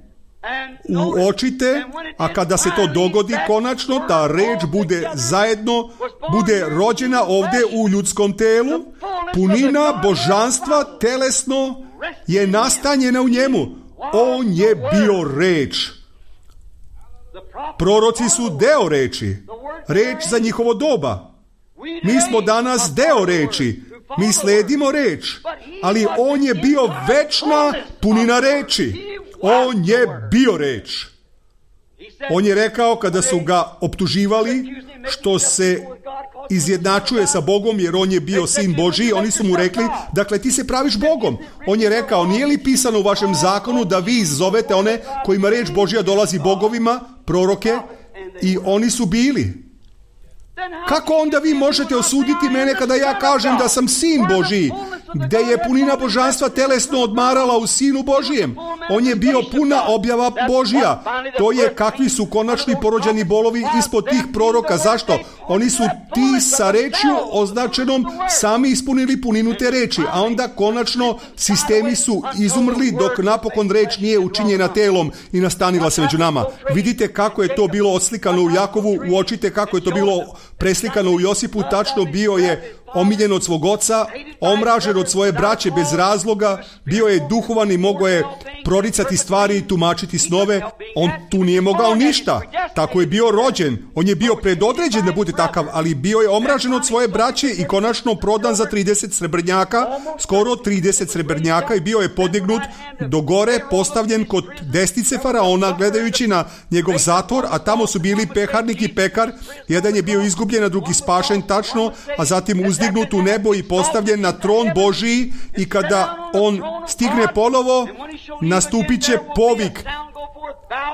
Uočite, a kada se to dogodi konačno, ta reč bude zajedno, bude rođena ovdje u ljudskom telu, punina božanstva telesno je nastanjena u njemu. On je bio reč. Proroci su deo reči, reč za njihovo doba. Mi smo danas deo reči, mi sledimo reč, ali on je bio večna punina reči. On je bio reč. On je rekao kada su ga optuživali što se izjednačuje sa Bogom jer on je bio sin Božji, oni su mu rekli, dakle ti se praviš Bogom. On je rekao, nije li pisano u vašem zakonu da vi zovete one kojima reč Božja dolazi bogovima, proroke, i oni su bili. Kako onda vi možete osuditi mene kada ja kažem da sam sin Božji, gdje je punina božanstva telesno odmarala u Sinu Božijem? On je bio puna objava Božja. To je kakvi su konačni porođeni bolovi ispod tih proroka. Zašto? Oni su ti sa rečju označenom sami ispunili puninu te reči, a onda konačno sistemi su izumrli dok napokon reč nije učinjena telom i nastanila se među nama. Vidite kako je to bilo oslikano u Jakovu, uočite kako je to bilo preslikano u Josipu, tačno bio je omiljen od svog oca, omražen od svoje braće bez razloga, bio je duhovan i mogao je proricati stvari i tumačiti snove. On tu nije mogao ništa. Tako je bio rođen. On je bio predodređen da bude takav, ali bio je omražen od svoje braće i konačno prodan za 30 srebrnjaka, skoro 30 srebrnjaka, i bio je podignut do gore, postavljen kod desnice faraona, gledajući na njegov zatvor, a tamo su bili peharnik i pekar. Jedan je bio izgubljen, a drugi spašen, tačno, a zatim uzdignut u nebo i postavljen na tron Božiji, i kada on stigne ponovo, nastupit će povik: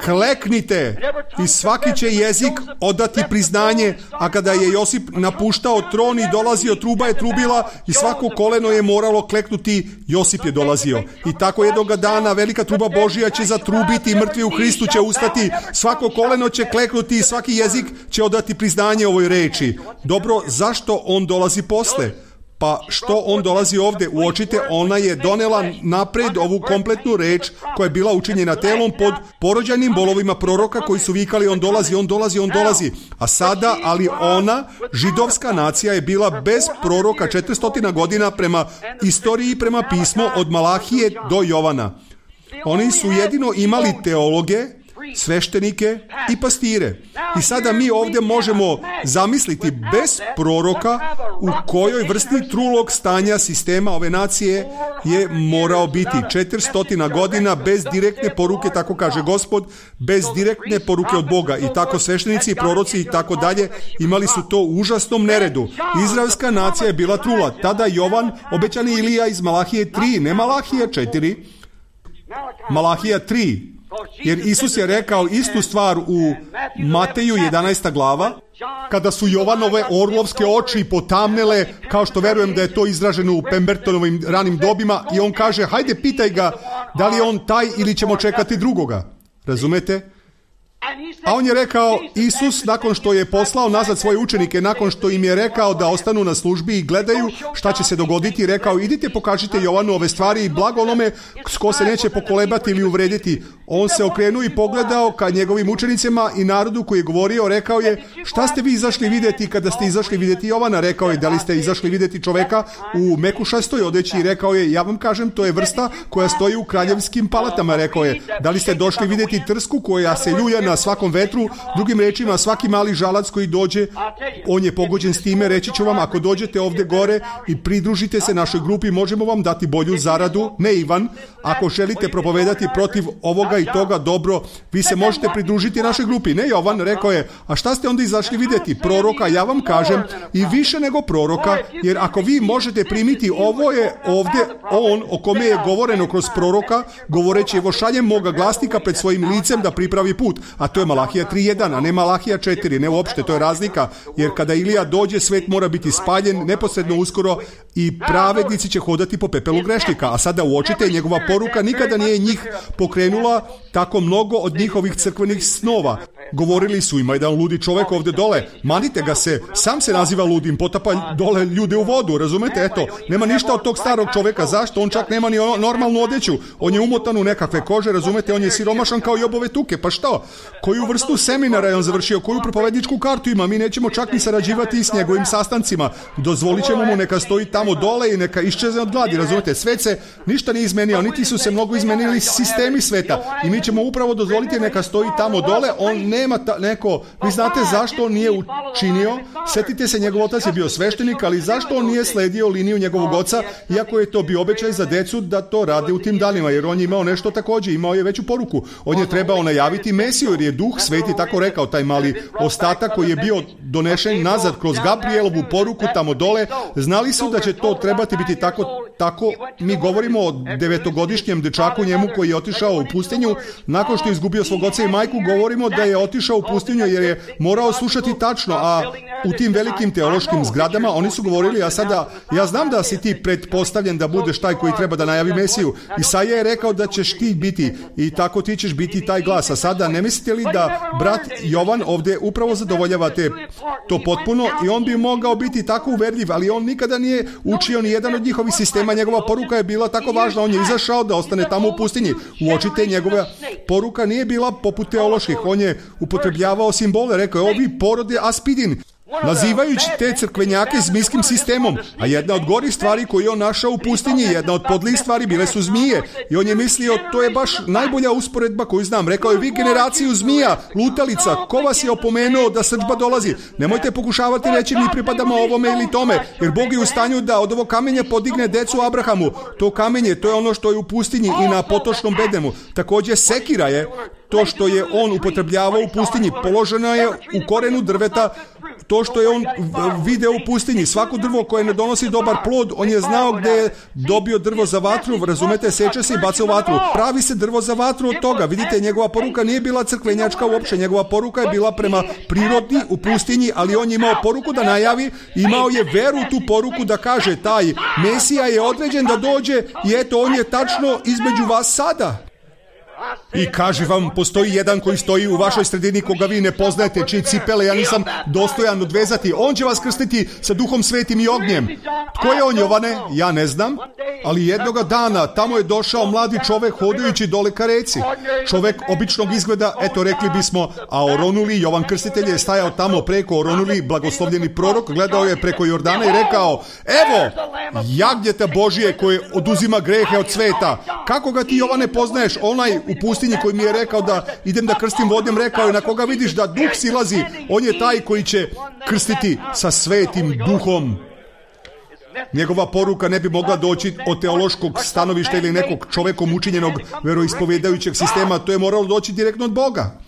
kleknite, i svaki će jezik odati priznanje. A kada je Josip napuštao tron i dolazio, truba je trubila i svako koleno je moralo kleknuti, Josip je dolazio. I tako jednoga dana velika truba Božja će zatrubiti i mrtvi u Hristu će ustati, svako koleno će kleknuti i svaki jezik će odati priznanje ovoj reči. Dobro, zašto on dolazi posle? Pa što on dolazi ovdje? Uočite, ona je donela napred ovu kompletnu reč koja je bila učinjena telom pod porođajnim bolovima proroka koji su vikali on dolazi, on dolazi, on dolazi. A sada, ali ona, židovska nacija, je bila bez proroka 400 godina prema istoriji i prema pismu od Malahije do Jovana. Oni su jedino imali teologe, sveštenike i pastire. I sada mi ovdje možemo zamisliti bez proroka u kojoj vrsti trulog stanja sistema ove nacije je morao biti. 400 godina bez direktne poruke, tako kaže Gospod, bez direktne poruke od Boga. I tako sveštenici i proroci i tako dalje imali su to u užasnom neredu. Izraelska nacija je bila trula. Tada Jovan, obećani Ilija iz Malahije 3, ne Malahija 4, Malahija 3. Jer Isus je rekao istu stvar u Mateju 11. glava, kada su Jovanove orlovske oči potamnele, kao što verujem da je to izraženo u Pembertonovim ranim dobima, i on kaže, hajde pitaj ga da li je on taj ili ćemo čekati drugoga. Razumete? A on je rekao, Isus, nakon što je poslao nazad svoje učenike, nakon što im je rekao da ostanu na službi i gledaju šta će se dogoditi, rekao, idite pokažite Jovanu ove stvari i blago onome ko se neće pokolebati ili uvrediti. On se okrenuo i pogledao ka njegovim učenicima i narodu koji je govorio, rekao je, šta ste vi izašli vidjeti kada ste izašli vidjeti Jovana? Rekao je, da li ste izašli vidjeti čoveka u mekušastoj odeći? I rekao je, ja vam kažem, to je vrsta koja stoji u kraljevskim palatama. Rekao je, da li ste došli vidjeti trsku koja se ljulja na svakom vetru? Drugim rečima, svaki mali žalac koji dođe, on je pogođen s time. Reći ću vam, ako dođete ovdje gore i pridružite se našoj grupi, možemo vam dati bolju zaradu. Ne, Ivan, ako želite propovedati protiv ovoga i toga, dobro, vi se možete pridružiti našoj grupi. Ne, Jovan, rekao je, a šta ste onda izašli vidjeti? Proroka, ja vam kažem, i više nego proroka, jer ako vi možete primiti, ovo je ovdje on o kome je govoreno kroz proroka, govoreći, evo šaljem moga glasnika pred svojim licem da pripravi put. A to je Malahija 3.1, a ne Malahija 4, ne uopšte, to je razlika, jer kada Ilija dođe, svet mora biti spaljen neposredno uskoro i pravednici će hodati po pepelu grešnika. A sada uočite, njegova poruka nikada nije njih pokrenula tako mnogo od njihovih crkvenih snova. Govorili su, ima jedan ludi čovjek ovdje dole, manite ga se, sam se naziva ludim, potapa dole ljude u vodu, razumete, eto, nema ništa od tog starog čovjeka. Zašto? On čak nema ni normalnu odeću, on je umotan u nekakve kože, razumete, on je siromašan kao Jobove tuke, pa što? Koju vrstu seminara je on završio, koju propovedničku kartu ima? Mi nećemo čak ni sarađivati s njegovim sastancima, dozvolit ćemo mu neka stoji tamo dole i neka iščezne od gladi, razumete, svet se ništa nije izmenio, niti su se mnogo izmenili sistemi sveta, i mi ćemo upravo dozvoliti neka stoji tamo dole, on nema neko, vi znate zašto on nije učinio, setite se, njegov otac je bio sveštenik, ali zašto on nije sledio liniju njegovog oca, iako je to bio običaj za decu da to rade u tim danima, jer on je imao nešto također, imao je veću poruku. On je trebao najaviti Mesiju, jer je Duh Sveti tako rekao, taj mali ostatak koji je bio donešen nazad kroz Gabrielovu poruku tamo dole, znali su da će to trebati biti tako. Mi govorimo o 9-godišnjem dečaku njemu koji je otišao u pustinju, nakon što je izgubio svog oca i majku, govorimo da je otišao u pustinju jer je morao slušati tačno, a u tim velikim teološkim zgradama oni su govorili, a sada, ja znam da si ti pretpostavljen da budeš taj koji treba da najavi Mesiju. Isaija je rekao da ćeš ti biti i tako ti ćeš biti taj glas. A sada ne mislite li da brat Jovan ovdje upravo zadovoljava to potpuno i on bi mogao biti tako uverljiv, ali on nikada nije učio ni jedan od njihovih sistema. Njegova poruka je bila tako važna, on je izašao da ostane tamo u pustinji. Uočite, njegova poruka nije bila poput teoloških, on je upotrebljavao simbole, rekao je ovi porode aspidin, nazivajući te crkvenjake zmijskim sistemom, a jedna od gorih stvari koju je on našao u pustinji, jedna od podlih stvari bile su zmije i on je mislio, to je baš najbolja usporedba koju znam. Rekao je, vi generaciju zmija, lutalica, ko vas je opomenuo da srdžba dolazi? Nemojte pokušavati reći mi pripadamo ovome ili tome, jer Bog je u stanju da od ovog kamenja podigne decu Abrahamu. To kamenje, to je ono što je u pustinji i na potočnom bedemu. Također sekira je to što je on upotrebljavao u pustinji, položeno je u korenu drveta, to što je on video u pustinji. Svako drvo koje ne donosi dobar plod, on je znao gdje je dobio drvo za vatru, razumete, seče se i baca u vatru. Pravi se drvo za vatru od toga. Vidite, njegova poruka nije bila crkvenjačka uopće, njegova poruka je bila prema prirodi u pustinji, ali on je imao poruku da najavi, imao je veru u tu poruku da kaže, taj Mesija je određen da dođe i eto, on je tačno između vas sada. I kaže vam, postoji jedan koji stoji u vašoj sredini koga vi ne poznajete, čiji cipele ja nisam dostojan odvezati. On će vas krstiti sa Duhom Svetim i ognjem. Tko je on, Jovane? Ja ne znam, ali jednoga dana tamo je došao mladi čovek hodajući dole ka reci. Čovek običnog izgleda, eto rekli bismo, a oronuli, Jovan Krstitelj je stajao tamo preko oronuli, blagoslovljeni prorok, gledao je preko Jordana i rekao, evo, jagnjeta Božije koje oduzima grehe od sveta. Kako ga ti, Jovane, poznaješ? Onaj u pustinji koji mi je rekao da idem da krstim vodom, rekao je, na koga vidiš da Duh silazi, on je taj koji će krstiti sa Svetim Duhom. Njegova poruka ne bi mogla doći od teološkog stanovišta ili nekog čovekom učinjenog veroispovjedajućeg sistema, to je moralo doći direktno od Boga.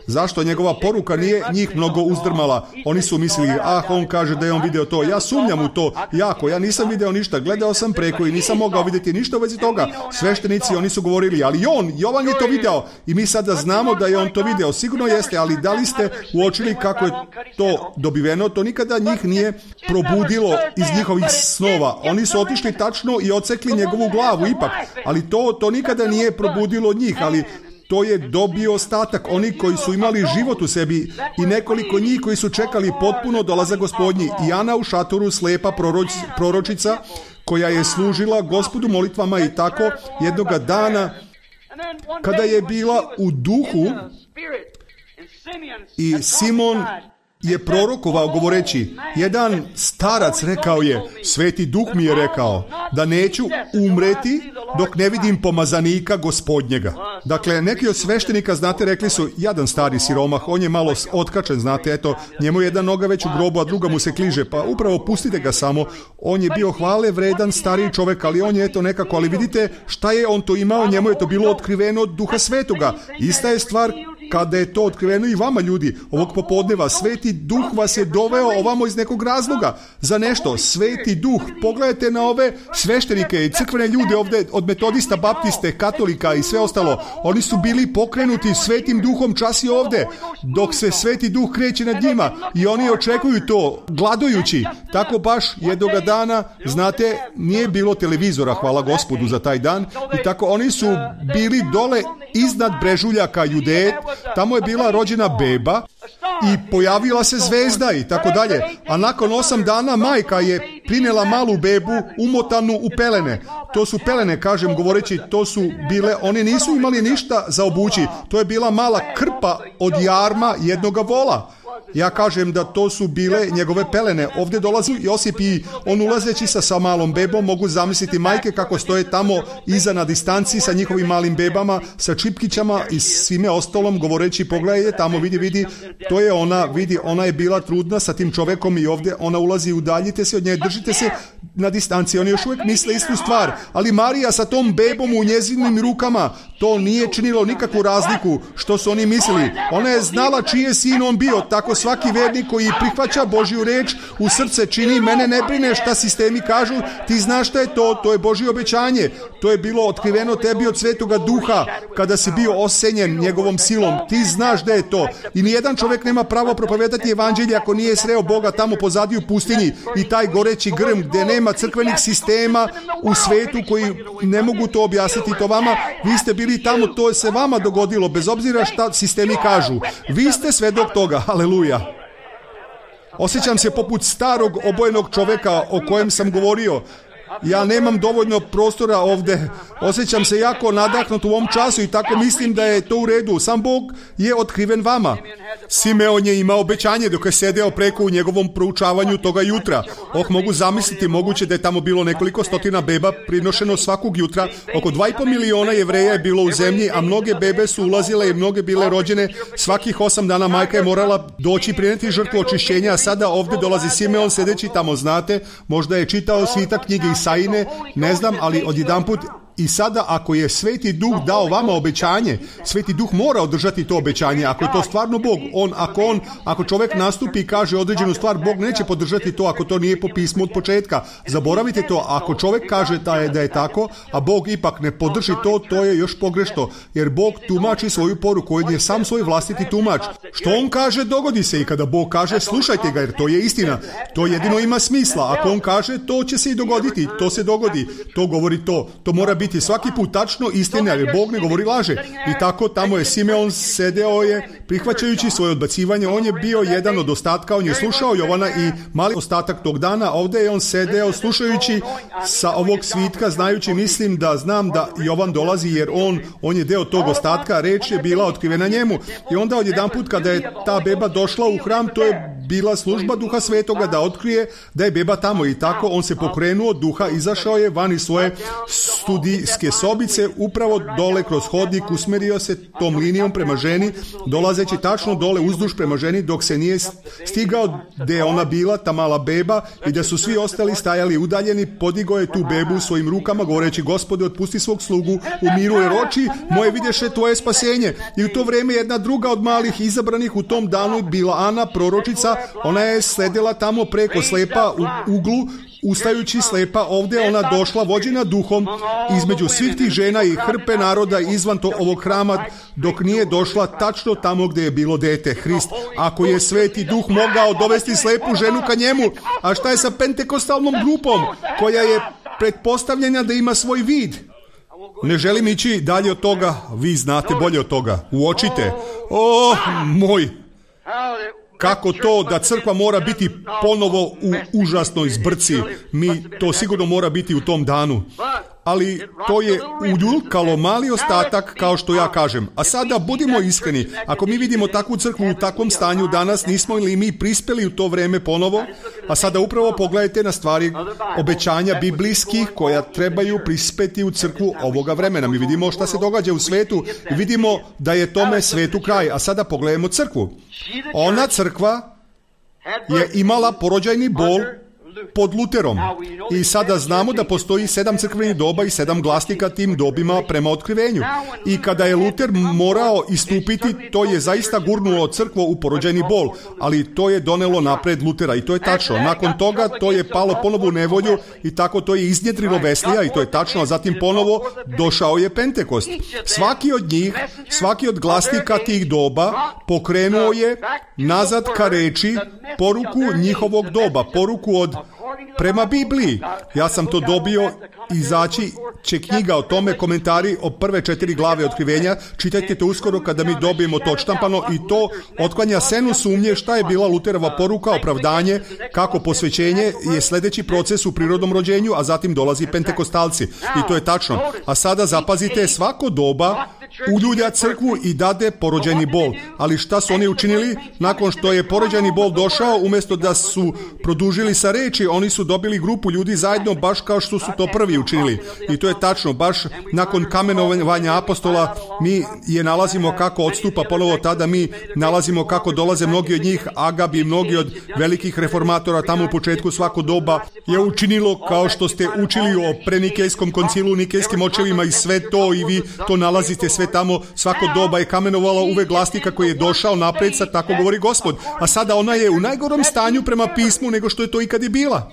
Zašto njegova poruka nije njih mnogo uzdrmala? Oni su mislili, on kaže da je on video to. Ja sumnjam u to jako, ja nisam video ništa, gledao sam preko i nisam mogao vidjeti ništa u vezi toga. Sveštenici, oni su govorili, ali Jovan je to video i mi sada znamo da je on to video. Sigurno jeste, ali da li ste uočili kako je to dobiveno? To nikada njih nije probudilo iz njihovih snova. Oni su otišli tačno i odsekli njegovu glavu ipak, ali to nikada nije probudilo njih, ali to je dobio ostatak, oni koji su imali život u sebi i nekoliko njih koji su čekali potpuno dolazak Gospodnji. I Ana u šatoru, slepa proročica koja je služila Gospodu molitvama i tako jednoga dana kada je bila u duhu i Simon je prorokovao govoreći, jedan starac rekao je, Sveti Duh mi je rekao da neću umreti dok ne vidim pomazanika Gospodnjega. Dakle, neki od sveštenika, znate, rekli su, jedan stari siromah, on je malo otkačen, znate, eto, njemu je jedna noga već u grobu, a druga mu se kliže, pa upravo pustite ga samo. On je bio hvale vredan stariji čovjek, ali on je eto nekako, ali vidite šta je on to imao, njemu je to bilo otkriveno od Duha Svetoga. Ista je stvar kada je to otkriveno i vama, ljudi, ovog popodneva. Sveti Duh vas je doveo ovamo iz nekog razloga za nešto. Sveti Duh, pogledajte na ove sveštenike i crkvene ljude ovdje od metodista, baptiste, katolika i sve ostalo. Oni su bili pokrenuti Svetim Duhom čas i ovdje, dok se Sveti Duh kreće nad njima i oni očekuju to, gladujući. Tako baš jednoga dana, znate, nije bilo televizora, hvala Gospodu za taj dan, i tako oni su bili dole iznad brežuljaka Judeje, tamo je bila rođena beba i pojavila se zvezda i tako dalje. A nakon 8 dana majka je prinela malu bebu umotanu u pelene. To su pelene, kažem, govoreći, to su bile, oni nisu imali ništa za obući. To je bila mala krpa od jarma jednoga vola. Ja kažem da to su bile njegove pelene. Ovdje dolazi Josip i on ulazeći sa malom bebom, mogu zamisliti majke kako stoje tamo iza na distanci sa njihovim malim bebama, sa čipkićama i svime ostalom, govoreći pogledajte tamo, vidi, to je ona, vidi, ona je bila trudna sa tim čovekom i ovdje ona ulazi, udaljite se od nje, držite se na distanci. Oni još uvijek misle istu stvar, ali Marija sa tom bebom u njezinim rukama, to nije činilo nikakvu razliku što su oni mislili. Ona je znala čiji je sin on bio. Tako svaki vernik koji prihvaća Božju reč u srce čini, mene ne brine šta sistemi kažu, ti znaš šta je to je Božje obećanje. To je bilo otkriveno tebi od Svetoga Duha kada si bio osenjen njegovom silom. Ti znaš da je to. I nijedan čovjek nema pravo propovedati evanđelje ako nije sreo Boga tamo pozadi u pustinji i taj goreći grm gdje nema crkvenih sistema u svetu koji ne mogu to objasniti to vama. Vi ste bili tamo, to se vama dogodilo bez obzira šta sistemi kažu. Vi ste svedok toga. Haleluja. Osjećam se poput starog obojenog čovjeka o kojem sam govorio. Ja nemam dovoljno prostora ovdje. Osjećam se jako nadahnut u ovom času i tako mislim da je to u redu. Sam Bog je otkriven vama. Simeon je imao obećanje dok je sedeo preko u njegovom proučavanju toga jutra. Mogu zamisliti, moguće da je tamo bilo nekoliko stotina beba prinošeno svakog jutra. Oko 2,5 miliona Jevreja je bilo u zemlji, a mnoge bebe su ulazile i mnoge bile rođene. Svakih 8 dana majka je morala doći prinijeti žrtvu očišćenja, a sada ovdje dolazi Simeon sedeći tamo, znate, možda je čitao svita knjige Isaine, ne znam, ali odjedanput. I sada ako je Sveti Duh dao vama obećanje, Sveti Duh mora održati to obećanje. Ako je to stvarno Bog, ako čovjek nastupi i kaže određenu stvar, Bog neće podržati to ako to nije po pismu od početka. Zaboravite to, ako čovjek kaže da je tako, a Bog ipak ne podrži to je još pogrešno, jer Bog tumači svoju poruku, on je sam svoj vlastiti tumač. Što on kaže, dogodi se, i kada Bog kaže, slušajte ga, jer to je istina. To jedino ima smisla. Ako on kaže, to će se i dogoditi, to se dogodi, to govori to. To mora biti svaki put tačno istina, jer Bog ne govori laže. I tako tamo je Simeon sedeo je, prihvaćajući svoje odbacivanje. On je bio jedan od ostatka, on je slušao Jovana i mali ostatak tog dana. Ovdje je on sedeo slušajući sa ovog svitka, znajući, znam da Jovan dolazi, jer on je deo tog ostatka, reč je bila otkrivena njemu. I onda odjedanput kada je ta beba došla u hram, to je bila služba Duha Svetoga da otkrije da je beba tamo. I tako on se pokrenuo duha, izašao je van iz svoje studijske sobice, upravo dole kroz hodnik, usmjerio se tom linijom prema ženi, dolazeći tačno dole uzduž prema ženi, dok se nije stigao gdje je ona bila, ta mala beba, i da su svi ostali stajali udaljeni. Podigao je tu bebu u svojim rukama, govoreći, Gospode, otpusti svog slugu u miru, jer oči moje vidješe tvoje spasenje. I u to vrijeme jedna druga od malih izabranih u tom danu bila Ana, proročica. Ona je sledila tamo preko, slepa u uglu, ustajući slepa. Ovdje ona došla vođena duhom između svih tih žena i hrpe naroda izvan ovog hrama, dok nije došla tačno tamo gdje je bilo dete, Hrist. Ako je Sveti Duh mogao dovesti slepu ženu ka njemu, a šta je sa pentekostalnom grupom koja je pretpostavljena da ima svoj vid? Ne želim ići dalje od toga, vi znate bolje od toga. Uočite. Moj, kako to da crkva mora biti ponovo u užasnoj zbrci. To sigurno mora biti u tom danu. Ali to je uljuljkalo mali ostatak, kao što ja kažem. A sada budimo iskreni, ako mi vidimo takvu crkvu u takvom stanju danas, nismo li mi prispeli u to vrijeme ponovo? A sada upravo pogledajte na stvari obećanja biblijskih koja trebaju prispeti u crkvu ovoga vremena. Mi vidimo šta se događa u svetu i vidimo da je tome svetu kraj. A sada pogledajmo crkvu. Ona crkva je imala porođajni bol pod Luterom. I sada znamo da postoji 7 crkvenih doba i 7 glasnika tim dobima prema otkrivenju. I kada je Luter morao istupiti, to je zaista gurnulo crkvu u porođajni bol, ali to je donelo napred Lutera i to je tačno. Nakon toga to je palo ponovo u nevolju i tako to je iznjedrilo Veslija i to je tačno, a zatim ponovo došao je Pentekost. Svaki od glasnika tih doba pokrenuo je nazad ka reči poruku njihovog doba, poruku od prema Bibliji. Ja sam to dobio, izaći će knjiga o tome, komentari o prve 4 glave otkrivenja. Čitajte to uskoro kada mi dobijemo to odštampano i to otklanja senu sumnje šta je bila Luterova poruka, opravdanje, kako posvećenje je sljedeći proces u prirodnom rođenju, a zatim dolazi pentekostalci. I to je tačno. A sada zapazite, svako doba uljulja crkvu i dade porođajni bol. Ali šta su oni učinili? Nakon što je porođajni bol došao, umjesto da su produžili sa reči, oni su dobili grupu ljudi zajedno, baš kao što su to prvi učinili. I to je tačno, baš nakon kamenovanja apostola mi je nalazimo kako odstupa ponovo tada, mi nalazimo kako dolaze mnogi od njih, Agab i mnogi od velikih reformatora tamo u početku svako doba je učinilo kao što ste učili o prenikejskom koncilu, nikejskim očevima i sve to, i vi to nalazite sve tamo. Svako doba je kamenovalo uvek glasnika koji je došao napred, sa tako govori Gospod. A sada ona je u najgorom stanju prema pismu nego što je to ikad i bila.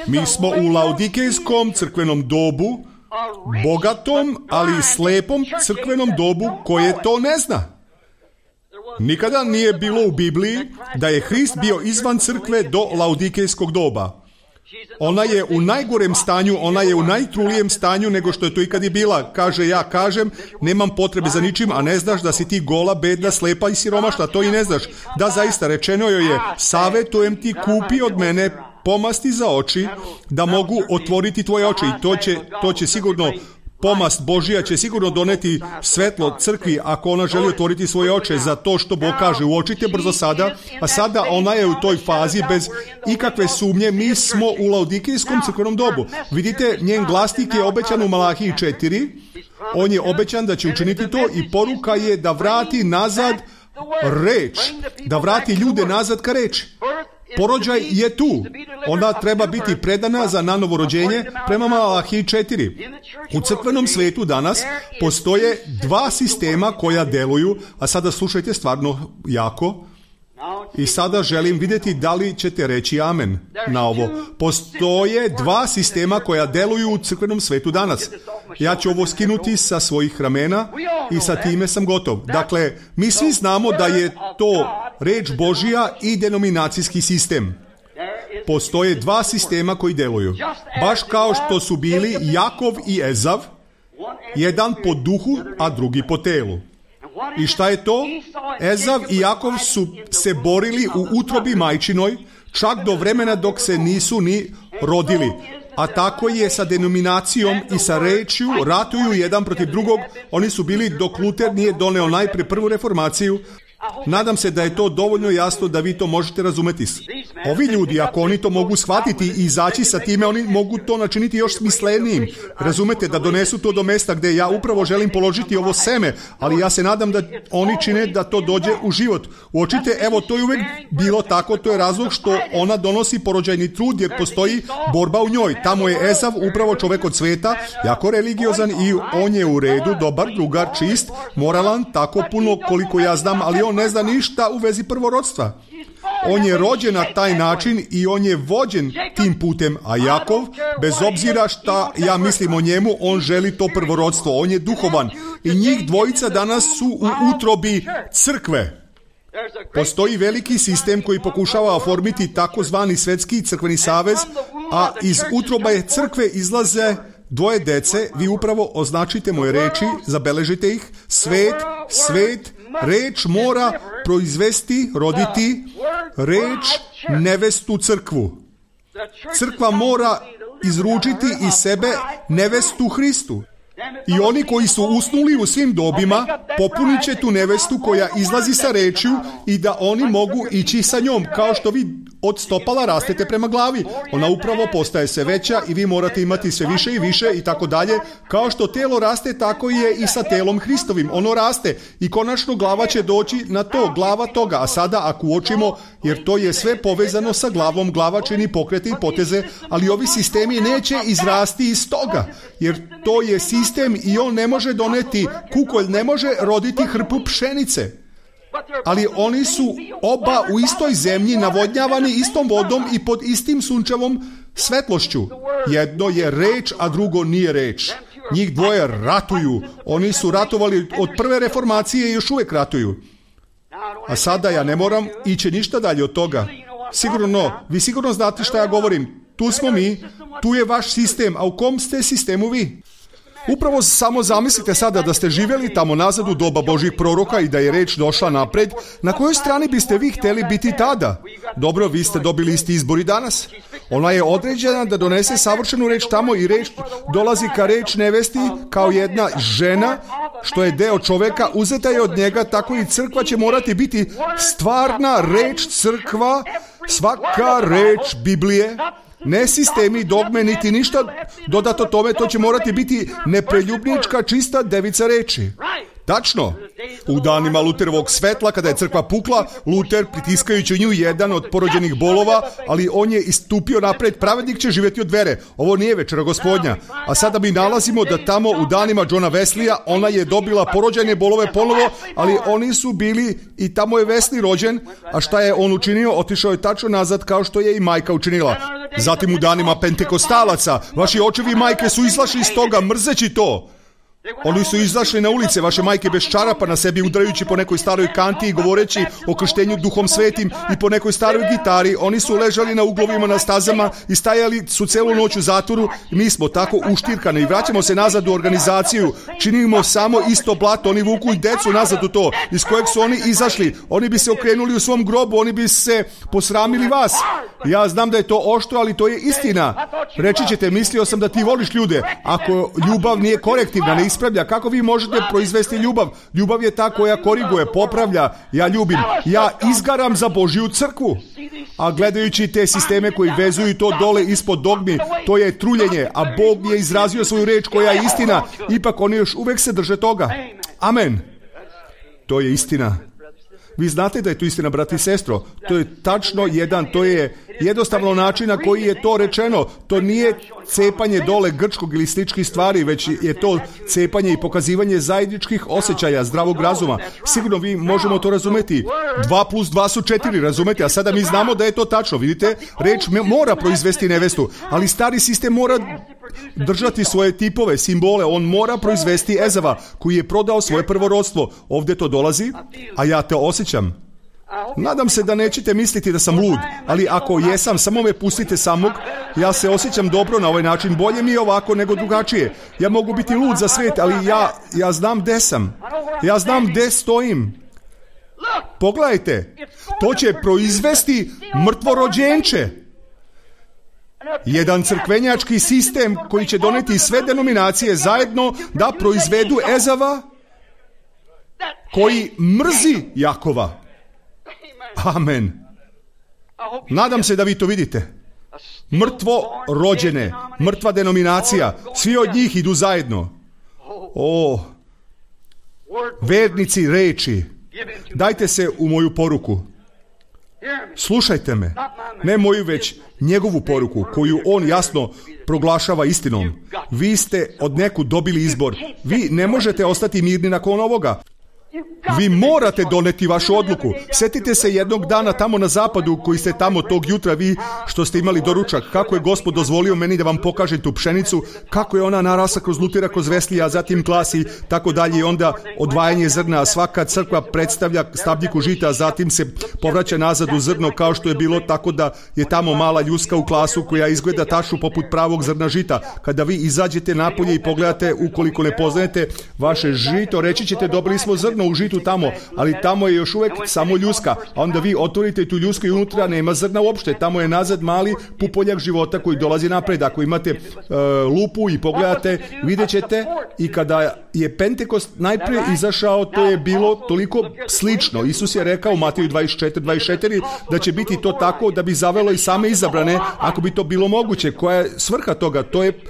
Mi smo u laodikejskom crkvenom dobu, bogatom, ali slepom crkvenom dobu koje to ne zna. Nikada nije bilo u Bibliji da je Hrist bio izvan crkve do laodikejskog doba. Ona je u najgorem stanju, ona je u najtrulijem stanju nego što je to ikad i bila. Kaže, ja kažem, nemam potrebe za ničim, a ne znaš da si ti gola, bedna, slepa i siromašna, to i ne znaš. Da, zaista, rečeno joj je, savetujem ti, kupi od mene pomasti za oči, da mogu otvoriti tvoje oči, i to će sigurno, pomast Božija će sigurno doneti svetlo crkvi ako ona želi otvoriti svoje oči za to što Bog kaže. Uočite brzo sada, a sada ona je u toj fazi bez ikakve sumnje. Mi smo u laodikejskom crkvenom dobu. Vidite, njen glasnik je obećan u Malahiji 4. On je obećan da će učiniti to i poruka je da vrati nazad reč, da vrati ljude nazad ka reči. Porođaj je tu. Ona treba biti predana za nanovo rođenje prema Malahiji 4. U crkvenom svetu danas postoje dva sistema koja deluju, a sada slušajte stvarno jako, i sada želim vidjeti da li ćete reći amen na ovo. Postoje dva sistema koja deluju u crkvenom svetu danas. Ja ću ovo skinuti sa svojih ramena i sa time sam gotov. Dakle, mi svi znamo da je to reč Božija i denominacijski sistem. Postoje dva sistema koji deluju. Baš kao što su bili Jakov i Ezav, jedan po duhu, a drugi po telu. I šta je to? Ezav i Jakov su se borili u utrobi majčinoj, čak do vremena dok se nisu ni rodili. A tako je sa denominacijom i sa rečju, ratuju jedan protiv drugog. Oni su bili dok Luter nije doneo najprije prvu reformaciju. Nadam se da je to dovoljno jasno da vi to možete razumeti. Ovi ljudi, ako oni to mogu shvatiti i izaći sa time, oni mogu to načiniti još smislenijim. Razumete, da donesu to do mesta gdje ja upravo želim položiti ovo seme, ali ja se nadam da oni čine da to dođe u život. Uočite, evo, to je uvijek bilo tako, to je razlog što ona donosi porođajni trud, jer postoji borba u njoj. Tamo je Ezav, upravo čovjek od sveta, jako religiozan i on je u redu, dobar, drugar, čist, moralan, tako puno koliko ja znam, ali on ne zna ništa u vezi prvorodstva. On je rođen na taj način i on je vođen tim putem, a Jakov, bez obzira šta ja mislim o njemu, on želi to prvorodstvo, on je duhovan. I njih dvojica danas su u utrobi crkve. Postoji veliki sistem koji pokušava oformiti takozvani svetski crkveni savez, a iz utroba je crkve izlaze dvoje dece. Vi upravo označite moje reči, zabeležite ih. Svet, reč mora proizvesti, roditi reč, nevestu, crkvu. Crkva mora izručiti iz sebe nevestu Hristu. I oni koji su usnuli u svim dobima popunit će tu nevestu koja izlazi sa rečju i da oni mogu ići sa njom, kao što vi od stopala rastete prema glavi. Ona upravo postaje sve veća i vi morate imati sve više i više i tako dalje. Kao što telo raste, tako je i sa telom Hristovim. Ono raste i konačno glava će doći na to, glava toga. A sada ako uočimo, jer to je sve povezano sa glavom, glava čini pokrete i poteze, ali ovi sistemi neće izrasti iz toga, jer to je sistem i on ne može doneti, kukolj ne može roditi hrpu pšenice. Ali oni su oba u istoj zemlji, navodnjavani istom vodom i pod istim sunčevom svetlošću. Jedno je reč, a drugo nije reč. Njih dvoje ratuju. Oni su ratovali od prve reformacije i još uvijek ratuju. A sada ja ne moram ići ništa dalje od toga. Vi sigurno znate šta ja govorim. Tu smo mi, tu je vaš sistem, a u kom ste sistemu vi? Upravo samo zamislite sada da ste živjeli tamo nazad u doba Božih proroka i da je reč došla napred. Na kojoj strani biste vi htjeli biti tada? Dobro, vi ste dobili isti izbor i danas. Ona je određena da donese savršenu reč tamo i reč dolazi ka reč nevesti kao jedna žena što je deo čoveka, uzeta je od njega, tako i crkva će morati biti stvarna reč crkva, svaka reč Biblije, ne sistemi, dogme, niti ništa dodato tome, to će morati biti nepreljubnička, čista devica reči. Tačno. U danima Luterovog svetla, kada je crkva pukla, Luter, pritiskajući u nju jedan od porođenih bolova, ali on je istupio napred, pravednik će živjeti od vere. Ovo nije večera Gospodnja. A sada mi nalazimo da tamo u danima Johna Weslija, ona je dobila porođene bolove ponovo, ali oni su bili i tamo je Wesley rođen, a šta je on učinio? Otišao je tačno nazad kao što je i majka učinila. Zatim u danima Pentekostalaca, vaši očevi i majke su izašli iz toga mrzeći to. Oni su izašli na ulice, vaše majke bez čarapa na sebi, udarajući po nekoj staroj kanti i govoreći o krštenju Duhom Svetim i po nekoj staroj gitari. Oni su ležali na uglovima, na stazama i stajali su celu noć u zatvoru. Mi smo tako uštirkani i vraćamo se nazad u organizaciju. Činimo samo isto blato. Oni vuku i decu nazad u to, iz kojeg su oni izašli. Oni bi se okrenuli u svom grobu, oni bi se posramili vas. Ja znam da je to oštro, ali to je istina. Reći ćete, mislio sam da ti voliš ljude. Ako ljubav nije korektivna, ne ispravlja, kako vi možete proizvesti ljubav? Ljubav je ta koja koriguje, popravlja. Ja ljubim. Ja izgaram za Božju crkvu. A gledajući te sisteme koji vezuju to dole ispod dogmi, to je truljenje, a Bog je izrazio svoju reč koja je istina. Ipak oni još uvek se drže toga. Amen. To je istina. Vi znate da je to istina, brati i sestro. To je tačno to je jednostavno način na koji je to rečeno. To nije cepanje dole grčkog ili sličnih stvari, već je to cepanje i pokazivanje zajedničkih osjećaja, zdravog razuma. Sigurno vi možemo to razumeti. 2 plus 2 su 4, razumete? A sada mi znamo da je to tačno. Vidite, reč mora proizvesti nevestu, ali stari sistem mora držati svoje tipove, simbole. On mora proizvesti Ezava, koji je prodao svoje prvorodstvo. Ovdje to dolazi, a ja te osjećam. Nadam se da nećete misliti da sam lud, ali ako jesam, samo me pustite samog. Ja se osjećam dobro na ovaj način, bolje mi je ovako nego drugačije. Ja mogu biti lud za svijet, ali ja znam gde sam. Ja znam gde stojim. Pogledajte, to će proizvesti mrtvorođenče. Jedan crkvenjački sistem koji će doneti sve denominacije zajedno da proizvedu Ezava koji mrzi Jakova. Amen. Nadam se da vi to vidite. Mrtvo rođene, mrtva denominacija, svi od njih idu zajedno. O, vernici reči, dajte se u moju poruku. Slušajte me, ne moju, već njegovu poruku, koju on jasno proglašava istinom. Vi ste od nekud dobili izbor. Vi ne možete ostati mirni nakon ovoga. Vi morate doneti vašu odluku. Sjetite se jednog dana tamo na zapadu, koji ste tamo tog jutra, vi što ste imali doručak, kako je Gospod dozvolio meni da vam pokažem tu pšenicu, kako je ona narasla kroz Lutera, kroz Weslija, a zatim klasi, tako dalje, i onda odvajanje zrna. Svaka crkva predstavlja stabljiku žita, a zatim se povraća nazad u zrno, kao što je bilo, tako da je tamo mala ljuska u klasu koja izgleda tačno poput pravog zrna žita. Kada vi izađete napolje i pogledate, ukoliko ne poznajete vaše žito, reći ćete, dobili smo zrno u žitu tamo, ali tamo je još uvijek samo ljuska, a onda vi otvorite tu ljusku i unutra nema zrna uopšte, tamo je nazad mali pupoljak života koji dolazi napred. Ako imate lupu i pogledate, vidjet ćete, i kada je Pentekost najprije izašao, to je bilo toliko slično. Isus je rekao u Mateju 24 da će biti to tako da bi zavelo i same izabrane, ako bi to bilo moguće. Koja je svrha toga? To je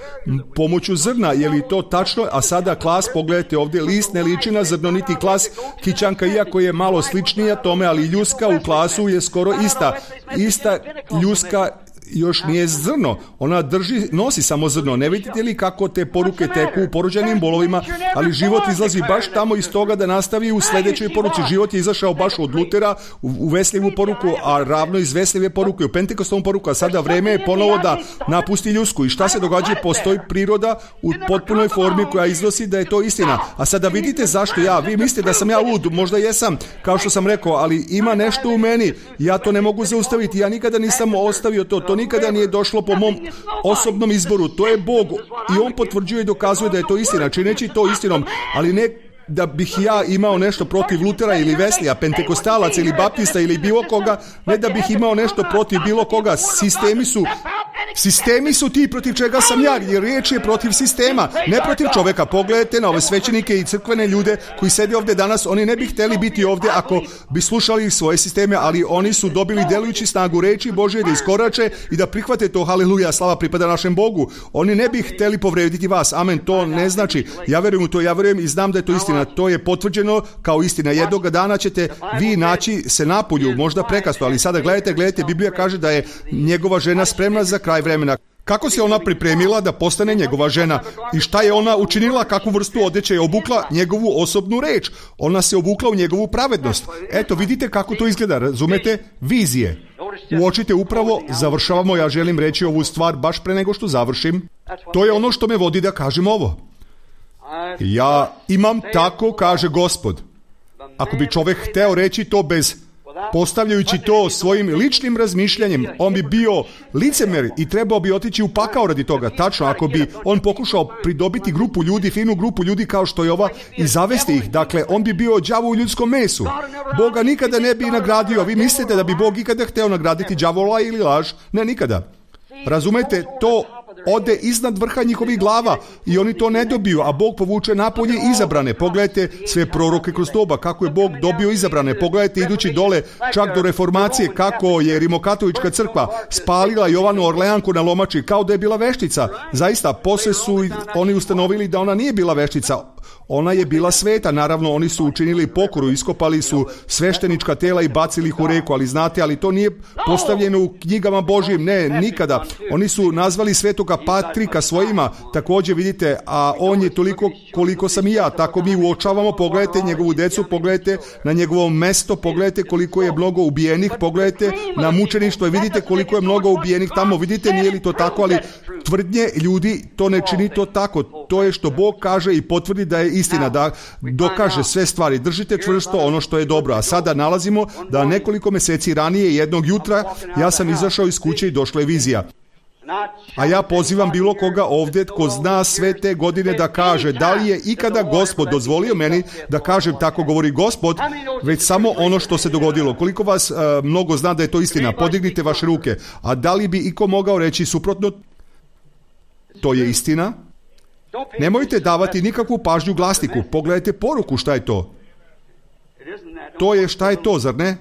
pomoću zrna. Je li to tačno? A sada klas, pogledajte ovdje, list ne liči na zrno, niti klas kićanka, iako je malo sličnija tome, ali ljuska u klasu je skoro ista. Ista ljuska još nije zrno. Ona nosi samo zrno. Ne vidite li kako te poruke teku u porođenim bolovima, ali život izlazi baš tamo iz toga da nastavi u sljedećoj poruci. Život je izašao baš od Lutera u Wesleyevu poruku, a ravno iz Wesleyeve poruke u Pentekostovom poruku, a sada vreme je ponovo da napusti ljusku. I šta se događa? Postoji priroda u potpunoj formi koja iznosi da je to istina. A sada vidite zašto vi mislite da sam ja lud, možda jesam, kao što sam rekao, ali ima nešto u meni. Ja to ne mogu zaustaviti. Ja nikada nisam ostavio to nikada nije došlo po mom osobnom izboru. To je Bog i on potvrđuje i dokazuje da je to istina, čineći to istinom, ali ne da bih ja imao nešto protiv Lutera ili Wesleya, Pentekostalaca ili Baptista ili bilo koga, ne da bih imao nešto protiv bilo koga. Sistemi su Sistemi su ti protiv čega sam ja, jer riječ je protiv sistema, ne protiv čovjeka. Pogledajte na ove svećenike i crkvene ljude koji sede ovdje danas, oni ne bi htjeli biti ovdje ako bi slušali svoje sisteme, ali oni su dobili djelujući snagu reči Božje da iskorače i da prihvate to. Haleluja, slava pripada našem Bogu. Oni ne bi htjeli povrediti vas. Amen, to ne znači. Ja vjerujem u to, ja vjerujem i znam da je to istina. To je potvrđeno kao istina. Jednoga dana ćete vi naći se napolju, možda prekasno, ali sada gledajte, Biblija kaže da je njegova žena spremna za kraj vremena. Kako se ona pripremila da postane njegova žena? I šta je ona učinila? Kakvu vrstu odjeće je obukla? Njegovu osobnu reč. Ona se obukla u njegovu pravednost. Eto, vidite kako to izgleda, razumete? Vizije. Uočite upravo, završavamo, ja želim reći ovu stvar baš pre nego što završim. To je ono što me vodi da kažem ovo. Ja imam tako, kaže Gospod. Ako bi čovjek hteo reći to bez postavljajući to svojim ličnim razmišljanjem, on bi bio licemer i trebao bi otići u pakao radi toga. Tačno, ako bi on pokušao pridobiti grupu ljudi, finu grupu ljudi kao što je ova i zavesti ih, dakle, on bi bio đavo u ljudskom mesu. Boga nikada ne bi nagradio. Vi mislite da bi Bog ikada hteo nagraditi đavola ili laž? Ne, nikada. Razumete, to ode iznad vrha njihovih glava i oni to ne dobiju, a Bog povuče napolje izabrane. Pogledajte sve proroke kroz doba, kako je Bog dobio izabrane. Pogledajte idući dole čak do reformacije, kako je Rimokatolička crkva spalila Jovanu Orleanku na lomači kao da je bila veštica. Zaista, poslije su oni ustanovili da ona nije bila veštica. Ona je bila sveta, naravno oni su učinili pokoru, iskopali su sveštenička tela i bacili ih u reku, ali znate, ali to nije postavljeno u knjigama Božjim, ne, nikada. Oni su nazvali svetoga Patrika svojima, također vidite, a on je toliko koliko sam i ja, tako mi uočavamo, pogledajte njegovu decu, pogledajte na njegovo mesto, pogledajte koliko je mnogo ubijenih, pogledajte na mučeništvo i vidite koliko je mnogo ubijenih tamo, vidite, nije li to tako, ali tvrdnje ljudi to ne čini to tako, to je što Bog kaže i potvrdi da je istina, da dokaže sve stvari. Držite čvrsto ono što je dobro. A sada nalazimo da nekoliko mjeseci ranije, jednog jutra, ja sam izašao iz kuće i došla je vizija. A ja pozivam bilo koga ovdje tko zna sve te godine da kaže da li je ikada Gospod dozvolio meni da kažem tako govori Gospod, već samo ono što se dogodilo. Koliko vas mnogo zna da je to istina? Podignite vaše ruke. A da li bi iko mogao reći suprotno? To je istina. Nemojte davati nikakvu pažnju glasniku. Pogledajte poruku, šta je to? To je šta je to, zar ne?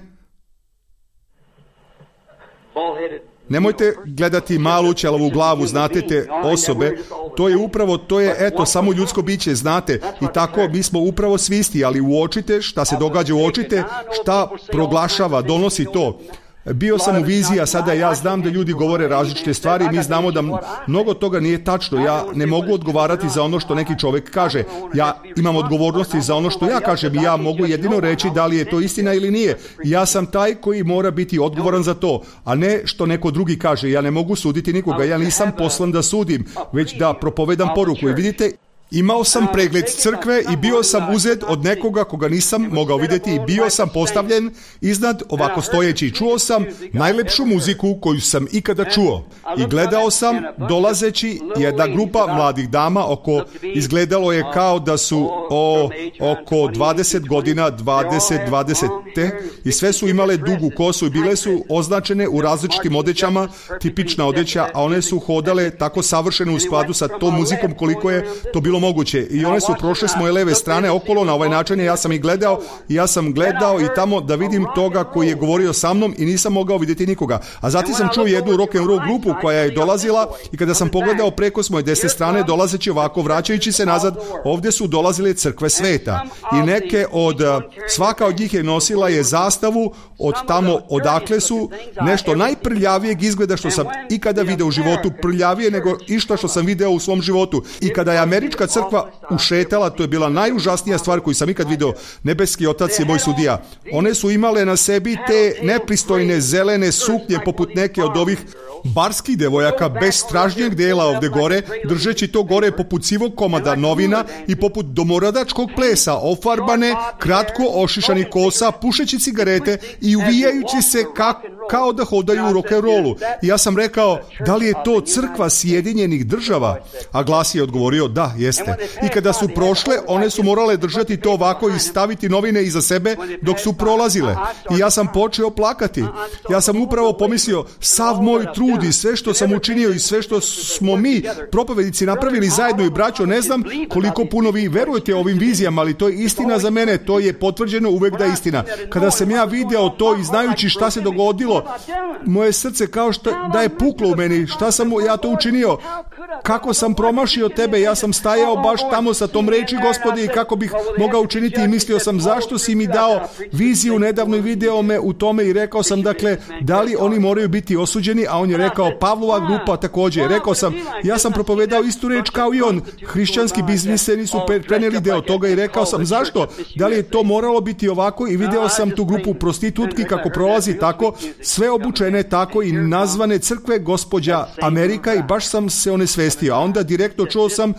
Nemojte gledati malu ćelavu glavu, znate te osobe, to je upravo, to je eto samo ljudsko biće, znate, i tako mi smo upravo svi isti, ali uočite šta se događa, uočite šta proglašava, donosi to. Bio sam u viziji, a sada ja znam da ljudi govore različite stvari i mi znamo da mnogo toga nije tačno. Ja ne mogu odgovarati za ono što neki čovjek kaže. Ja imam odgovornosti za ono što ja kažem i ja mogu jedino reći da li je to istina ili nije. Ja sam taj koji mora biti odgovoran za to, a ne što neko drugi kaže. Ja ne mogu suditi nikoga, ja nisam poslan da sudim, već da propovedam poruku. I vidite, imao sam pregled crkve i bio sam uzet od nekoga koga nisam mogao vidjeti i bio sam postavljen iznad ovako stojeći. Čuo sam najlepšu muziku koju sam ikada čuo i gledao sam dolazeći jedna grupa mladih dama izgledalo je kao da su oko 20 godina, 20 i sve su imale dugu kosu i bile su označene u različitim odećama, tipična odeća, a one su hodale tako savršeno u skladu sa tom muzikom koliko je to bilo moguće. I one su prošle s moje leve strane okolo na ovaj način. Ja sam gledao i tamo da vidim toga koji je govorio sa mnom i nisam mogao vidjeti nikoga. A zatim sam čuo jednu rock and roll grupu koja je dolazila i kada sam pogledao preko s moje desne strane dolazeći ovako, vraćajući se nazad, ovdje su dolazile crkve sveta. I neke svaka od njih je nosila je zastavu od tamo odakle su, nešto najprljavijeg izgleda što sam ikada video u životu, prljavije nego išta što sam video u svom životu. I kada je američka crkva ušetala, to je bila najužasnija stvar koju sam ikad video. Nebeski Otac je moj sudija. One su imale na sebi te nepristojne zelene suknje poput neke od ovih barskih devojaka bez stražnjeg dela ovdje gore, držeći to gore poput sivog komada novina i poput domoradačkog plesa, ofarbane, kratko ošišani kosa, pušeći cigarete i uvijajući se kao da hodaju u rock'n'rollu. I ja sam rekao, da li je to crkva Sjedinjenih Država? A glas je odgovorio, da, jeste. Jeste. I kada su prošle, one su morale držati to ovako i staviti novine iza sebe dok su prolazile. I ja sam počeo plakati. Ja sam upravo pomislio, sav moj trud i sve što sam učinio i sve što smo mi, propovednici, napravili zajedno i braćo, ne znam koliko puno vi verujete ovim vizijama, ali to je istina za mene, to je potvrđeno uvek da je istina. Kada sam ja video to i znajući šta se dogodilo, moje srce kao da je puklo u meni. Šta sam ja to učinio? Kako sam promašio tebe? Ja sam stajao baš tamo sa tom reči, Gospodi, i kako bih mogao učiniti i mislio sam, zašto si mi dao viziju nedavno i video me u tome i rekao sam, dakle, da li oni moraju biti osuđeni, a on je rekao, Pavlova grupa također. Rekao sam, ja sam propovedao istu reč kao i on. Hrišćanski biznismeni su preneli deo toga i rekao sam, zašto? Da li je to moralo biti ovako? I video sam tu grupu prostitutki kako prolazi tako, sve obučene tako i nazvane crkve gospođa Amerika i baš sam se onesvestio. A onda direktno čuo sam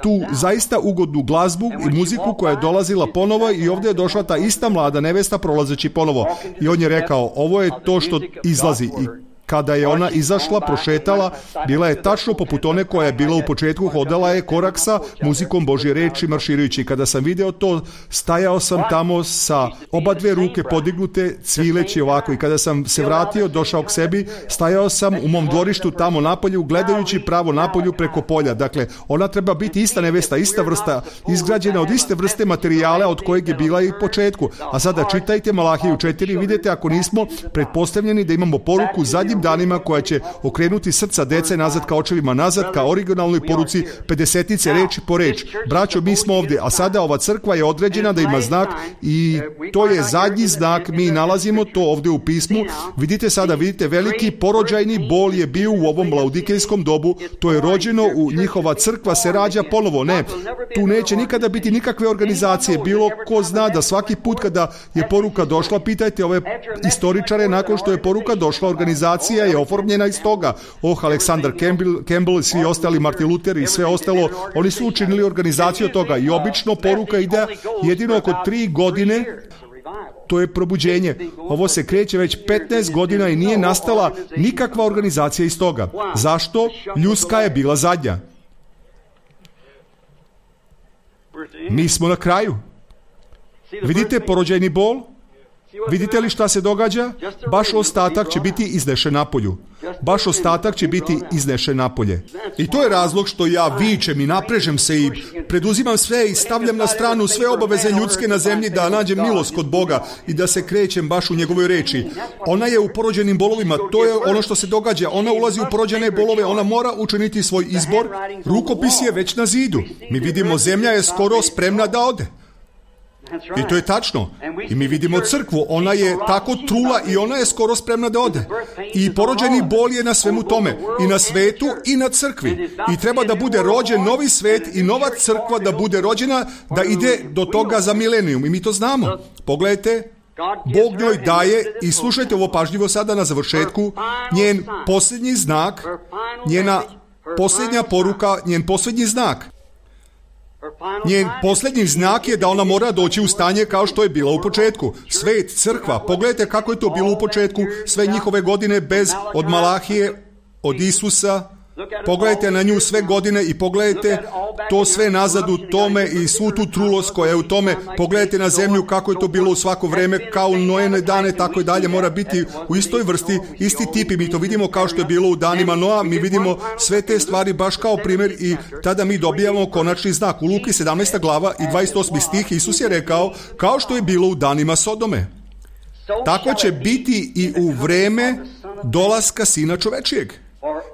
tu zaista ugodnu glazbu i muziku koja je dolazila ponovo i ovdje je došla ta ista mlada nevesta prolazeći ponovo. I on je rekao, ovo je to što izlazi. I kada je ona izašla, prošetala, bila je tačno poput one koja je bila u početku, hodala je korak sa muzikom Božje reči marširajući. Kada sam video to, stajao sam tamo sa oba dve ruke podignute, cvileći ovako. I kada sam se vratio, došao k sebi, stajao sam u mom dvorištu tamo napolju, gledajući pravo napolju preko polja. Dakle, ona treba biti ista nevesta, ista vrsta, izgrađena od iste vrste materijala od kojeg je bila i u početku. A sada čitajte Malahiju 4, vidite ako nismo pretpostavljeni da imamo poruku zadnji danima koja će okrenuti srca dece nazad ka očevima nazad, ka originalnoj poruci 50-ice reči po reč. Braćo, mi smo ovdje, a sada ova crkva je određena da ima znak i to je zadnji znak, mi nalazimo to ovdje u pismu. Vidite sada, vidite, veliki porođajni bol je bio u ovom laudikejskom dobu, to je rođeno, u njihova crkva se rađa ponovo. Ne, tu neće nikada biti nikakve organizacije, bilo ko zna da svaki put kada je poruka došla, pitajte ove istoričare, nakon što je poruka došla, organizacija je oformljena iz toga. Aleksandar Campbell i svi ostali, Martin Luther i sve ostalo, oni su učinili organizaciju toga i obično poruka ide jedino oko 3 godine. To je probuđenje. Ovo se kreće već 15 godina i nije nastala nikakva organizacija iz toga. Zašto? Ljudska je bila zadnja. Mi smo na kraju. Vidite porođajni bol? Vidite li šta se događa? Baš ostatak će biti iznešen napolju. Baš ostatak će biti iznešen napolje. I to je razlog što ja vičem i naprežem se i preduzimam sve i stavljam na stranu sve obaveze ljudske na zemlji da nađem milost kod Boga i da se krećem baš u njegovoj reči. Ona je u porođenim bolovima, to je ono što se događa. Ona ulazi u porođene bolove, ona mora učiniti svoj izbor. Rukopis je već na zidu. Mi vidimo, zemlja je skoro spremna da ode. I to je tačno. I mi vidimo crkvu, ona je tako trula i ona je skoro spremna da ode. I porođeni bol je na svemu tome. I na svetu i na crkvi. I treba da bude rođen novi svet i nova crkva da bude rođena, da ide do toga za milenijum. I mi to znamo. Pogledajte, Bog njoj daje, i slušajte ovo pažljivo sada na završetku, njen posljednji znak, njena posljednja poruka, njen posljednji znak. Njen posljednji znak je da ona mora doći u stanje kao što je bila u početku. Svet, crkva, pogledajte kako je to bilo u početku, sve njihove godine bez, od Malahije, od Isusa. Pogledajte na nju sve godine i pogledajte to sve nazad u tome i svu tu trulost koja je u tome. Pogledajte na zemlju kako je to bilo u svako vreme, kao u Noene dane, tako i dalje mora biti u istoj vrsti, isti tip i mi to vidimo kao što je bilo u danima Noa, mi vidimo sve te stvari baš kao primjer i tada mi dobijamo konačni znak. U Luki 17. glava i 28. stih Isus je rekao, kao što je bilo u danima Sodome, tako će biti i u vreme dolaska Sina čovečijeg.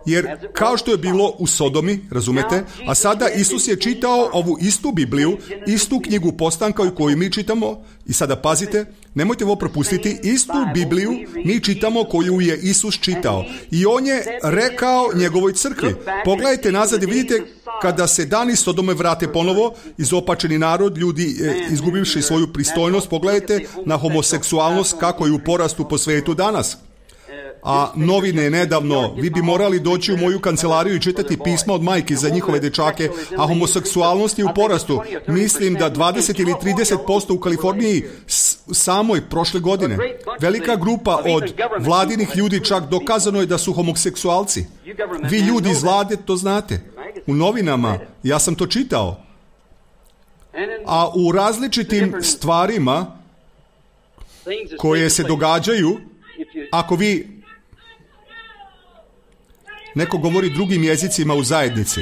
Jer kao što je bilo u Sodomi, razumete, a sada Isus je čitao ovu istu Bibliju, istu knjigu postanka koju mi čitamo, i sada pazite, nemojte ovo propustiti, istu Bibliju mi čitamo koju je Isus čitao. I on je rekao njegovoj crkvi. Pogledajte nazad i vidite kada se dani Sodome vrate ponovo, izopačeni narod, ljudi izgubivši svoju pristojnost, pogledajte na homoseksualnost kako je u porastu po svetu danas. A novine nedavno, vi bi morali doći u moju kancelariju i čitati pisma od majki za njihove dečake, a homoseksualnost je u porastu. Mislim da 20 ili 30% u Kaliforniji samoj prošle godine. Velika grupa od vladinih ljudi, čak dokazano je da su homoseksualci. Vi ljudi iz vlade to znate. U novinama, ja sam to čitao. A u različitim stvarima koje se događaju, ako vi neko govori drugim jezicima u zajednici,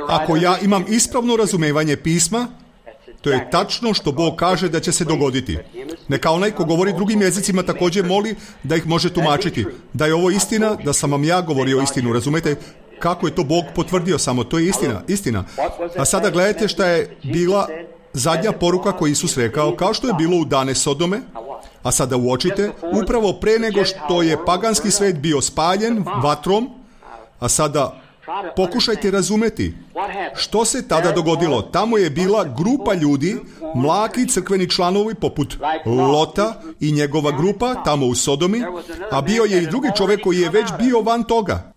ako ja imam ispravno razumevanje pisma, to je tačno što Bog kaže da će se dogoditi. Neka onaj ko govori drugim jezicima također moli da ih može tumačiti. Da je ovo istina, da sam vam ja govorio istinu. Razumete kako je to Bog potvrdio samo. To je istina. A sada gledajte šta je bila zadnja poruka koju Isus rekao, kao što je bilo u dane Sodome. A sada uočite, upravo pre nego što je paganski svet bio spaljen vatrom, a sada pokušajte razumeti što se tada dogodilo. Tamo je bila grupa ljudi, mlaki crkveni članovi poput Lota i njegova grupa tamo u Sodomi, a bio je i drugi čovjek koji je već bio van toga.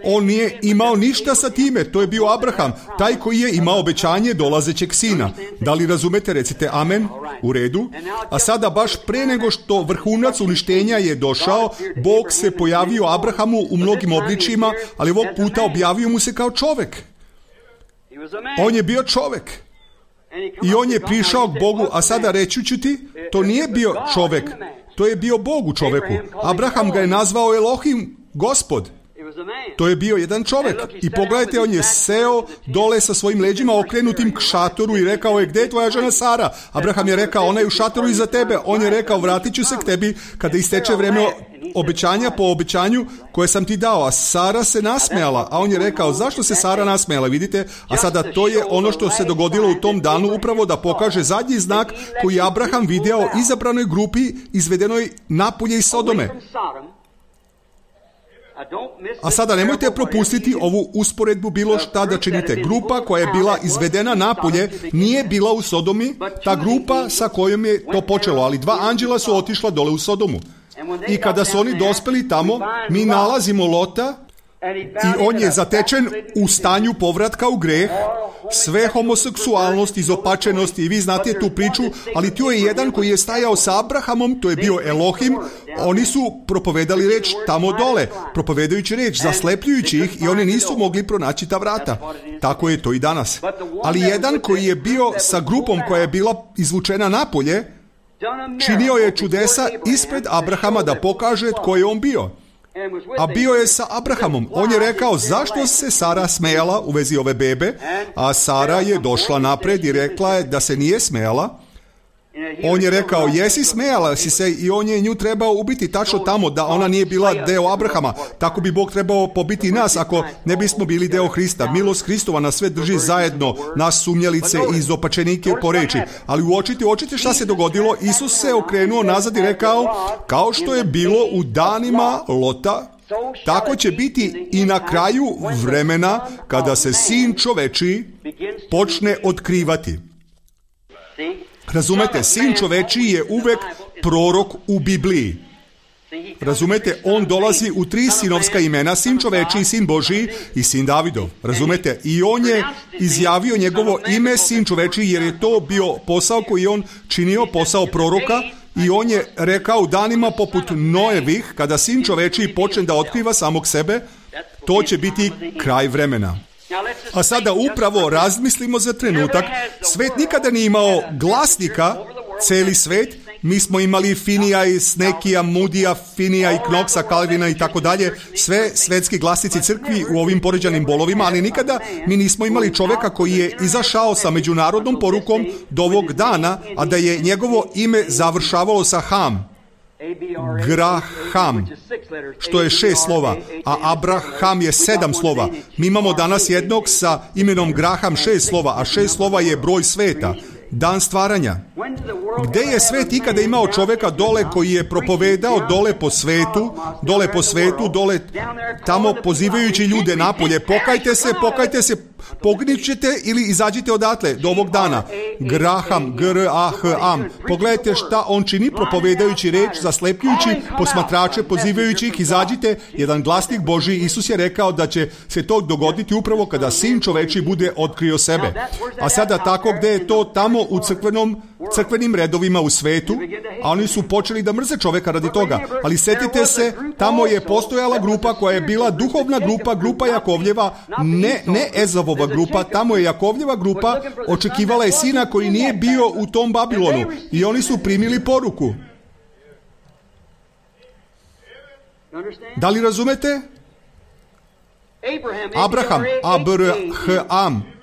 On nije imao ništa sa time, to je bio Abraham, taj koji je imao obećanje dolazećeg sina. Da li razumete? Recite amen. U redu. A sada baš pre nego što vrhunac uništenja je došao, Bog se pojavio Abrahamu u mnogim obličima, ali ovog puta objavio mu se kao čovjek. On je bio čovjek. I on je prišao k Bogu, a sada reći ću ti, to nije bio čovjek, to je bio Bog u čovjeku. Abraham ga je nazvao Elohim, Gospod. To je bio jedan čovjek. I pogledajte, on je seo dole sa svojim leđima okrenutim k šatoru i rekao je, gdje je tvoja žena Sara? Abraham je rekao, ona je u šatoru iza tebe. On je rekao, vratit ću se k tebi kada isteče vreme obećanja po obećanju koje sam ti dao. A Sara se nasmejala. A on je rekao, zašto se Sara nasmejala? Vidite? A sada to je ono što se dogodilo u tom danu, upravo da pokaže zadnji znak koji je Abraham video izabranoj grupi izvedenoj napolje iz Sodome. A sada nemojte propustiti ovu usporedbu bilo šta da činite. Grupa koja je bila izvedena napolje nije bila u Sodomi, ta grupa sa kojom je to počelo, ali dva anđela su otišla dole u Sodomu. I kada su oni dospeli tamo, mi nalazimo Lota i on je zatečen u stanju povratka u greh, sve homoseksualnost, izopačenost i vi znate tu priču, ali tu je jedan koji je stajao sa Abrahamom, to je bio Elohim, oni su propovedali reč tamo dole, propovedajući reč, zaslepljujući ih i oni nisu mogli pronaći ta vrata. Tako je to i danas. Ali jedan koji je bio sa grupom koja je bila izvučena napolje, činio je čudesa ispred Abrahama da pokaže tko je on bio. A bio je sa Abrahamom. On je rekao, zašto se Sara smejala u vezi ove bebe, a Sara je došla napred i rekla je da se nije smejala. On je rekao, jesi smejala si se, i on je nju trebao ubiti tačno tamo da ona nije bila deo Abrahama. Tako bi Bog trebao pobiti nas ako ne bismo bili deo Hrista. Milost Hristova nas sve drži zajedno, nas sumnjalice i izopačenike po reči. Ali uočite šta se dogodilo. Isus se okrenuo nazad i rekao, kao što je bilo u danima Lota, tako će biti i na kraju vremena kada se Sin čovečiji počne otkrivati. Razumete, Sin čovečiji je uvek prorok u Bibliji. Razumete, on dolazi u 3 sinovska imena, sin čovečiji, sin Božiji i sin Davidov. Razumete? I on je izjavio njegovo ime, sin čovečiji, jer je to bio posao koji on činio, posao proroka. I on je rekao u danima poput Noevih, kada sin čovečiji počne da otkriva samog sebe, to će biti kraj vremena. A sada upravo razmislimo za trenutak. Svet nikada nije imao glasnika, celi svet. Mi smo imali Finija i Snekija, Mudija, Finija i Knoksa, Kalvina i tako dalje, sve svetski glasnici crkvi u ovim poređanim bolovima, ali nikada mi nismo imali čoveka koji je izašao sa međunarodnom porukom do ovog dana, a da je njegovo ime završavalo sa Ham. Graham, što je 6 slova, a Abraham je 7 slova. Mi imamo danas jednog sa imenom Graham 6 slova, a 6 slova je broj sveta, dan stvaranja. Gde je svet ikada imao čoveka dole koji je propovedao dole po svetu, dole tamo pozivajući ljude napolje, pokajte se, pognićete ili izađite odatle do ovog dana. Graham, G-R-A-H-am. Pogledajte šta on čini propovedajući reč, zaslepljujući posmatrače, pozivajući ih, izađite, jedan glasnik Božji. Isus je rekao da će se to dogoditi upravo kada sin čovečiji bude otkrio sebe. A sada tako gde je to? Tamo u crkvenim redovima u svetu, a oni su počeli da mrze čoveka radi toga. Ali setite se, tamo je postojala grupa koja je bila duhovna grupa Jakovljeva, ne Ezavova grupa, tamo je Jakovljeva grupa, očekivala je sina koji nije bio u tom Babilonu i oni su primili poruku. Da li razumete? Abraham, A-B-R-H-am.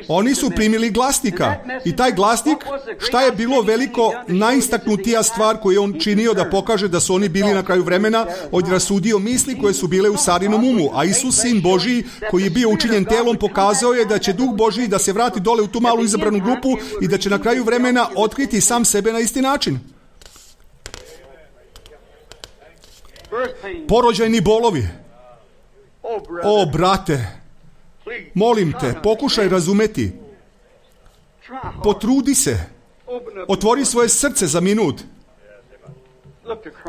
Oni su primili glasnika i taj glasnik, šta je bilo veliko najistaknutija stvar koju je on činio da pokaže da su oni bili na kraju vremena, on je rasudio misli koje su bile u Sarinom umu, a Isus, sin Božiji, koji je bio učinjen telom, pokazao je da će Duh Božiji da se vrati dole u tu malu izabranu grupu i da će na kraju vremena otkriti sam sebe na isti način. Porođajni bolovi. O, brate, molim te, pokušaj razumeti. Potrudi se. Otvori svoje srce za minut.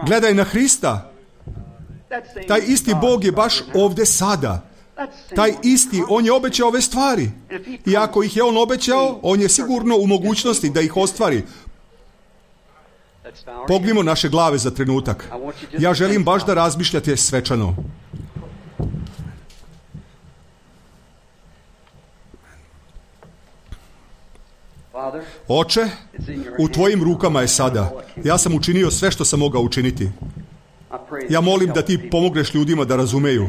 Gledaj na Hrista. Taj isti Bog je baš ovde sada. Taj isti, on je obećao ove stvari. I ako ih je on obećao, on je sigurno u mogućnosti da ih ostvari. Pognimo naše glave za trenutak. Ja želim baš da razmišljate svečano. Oče, u tvojim rukama je sada. Ja sam učinio sve što sam mogao učiniti. Ja molim da ti pomogneš ljudima da razumeju.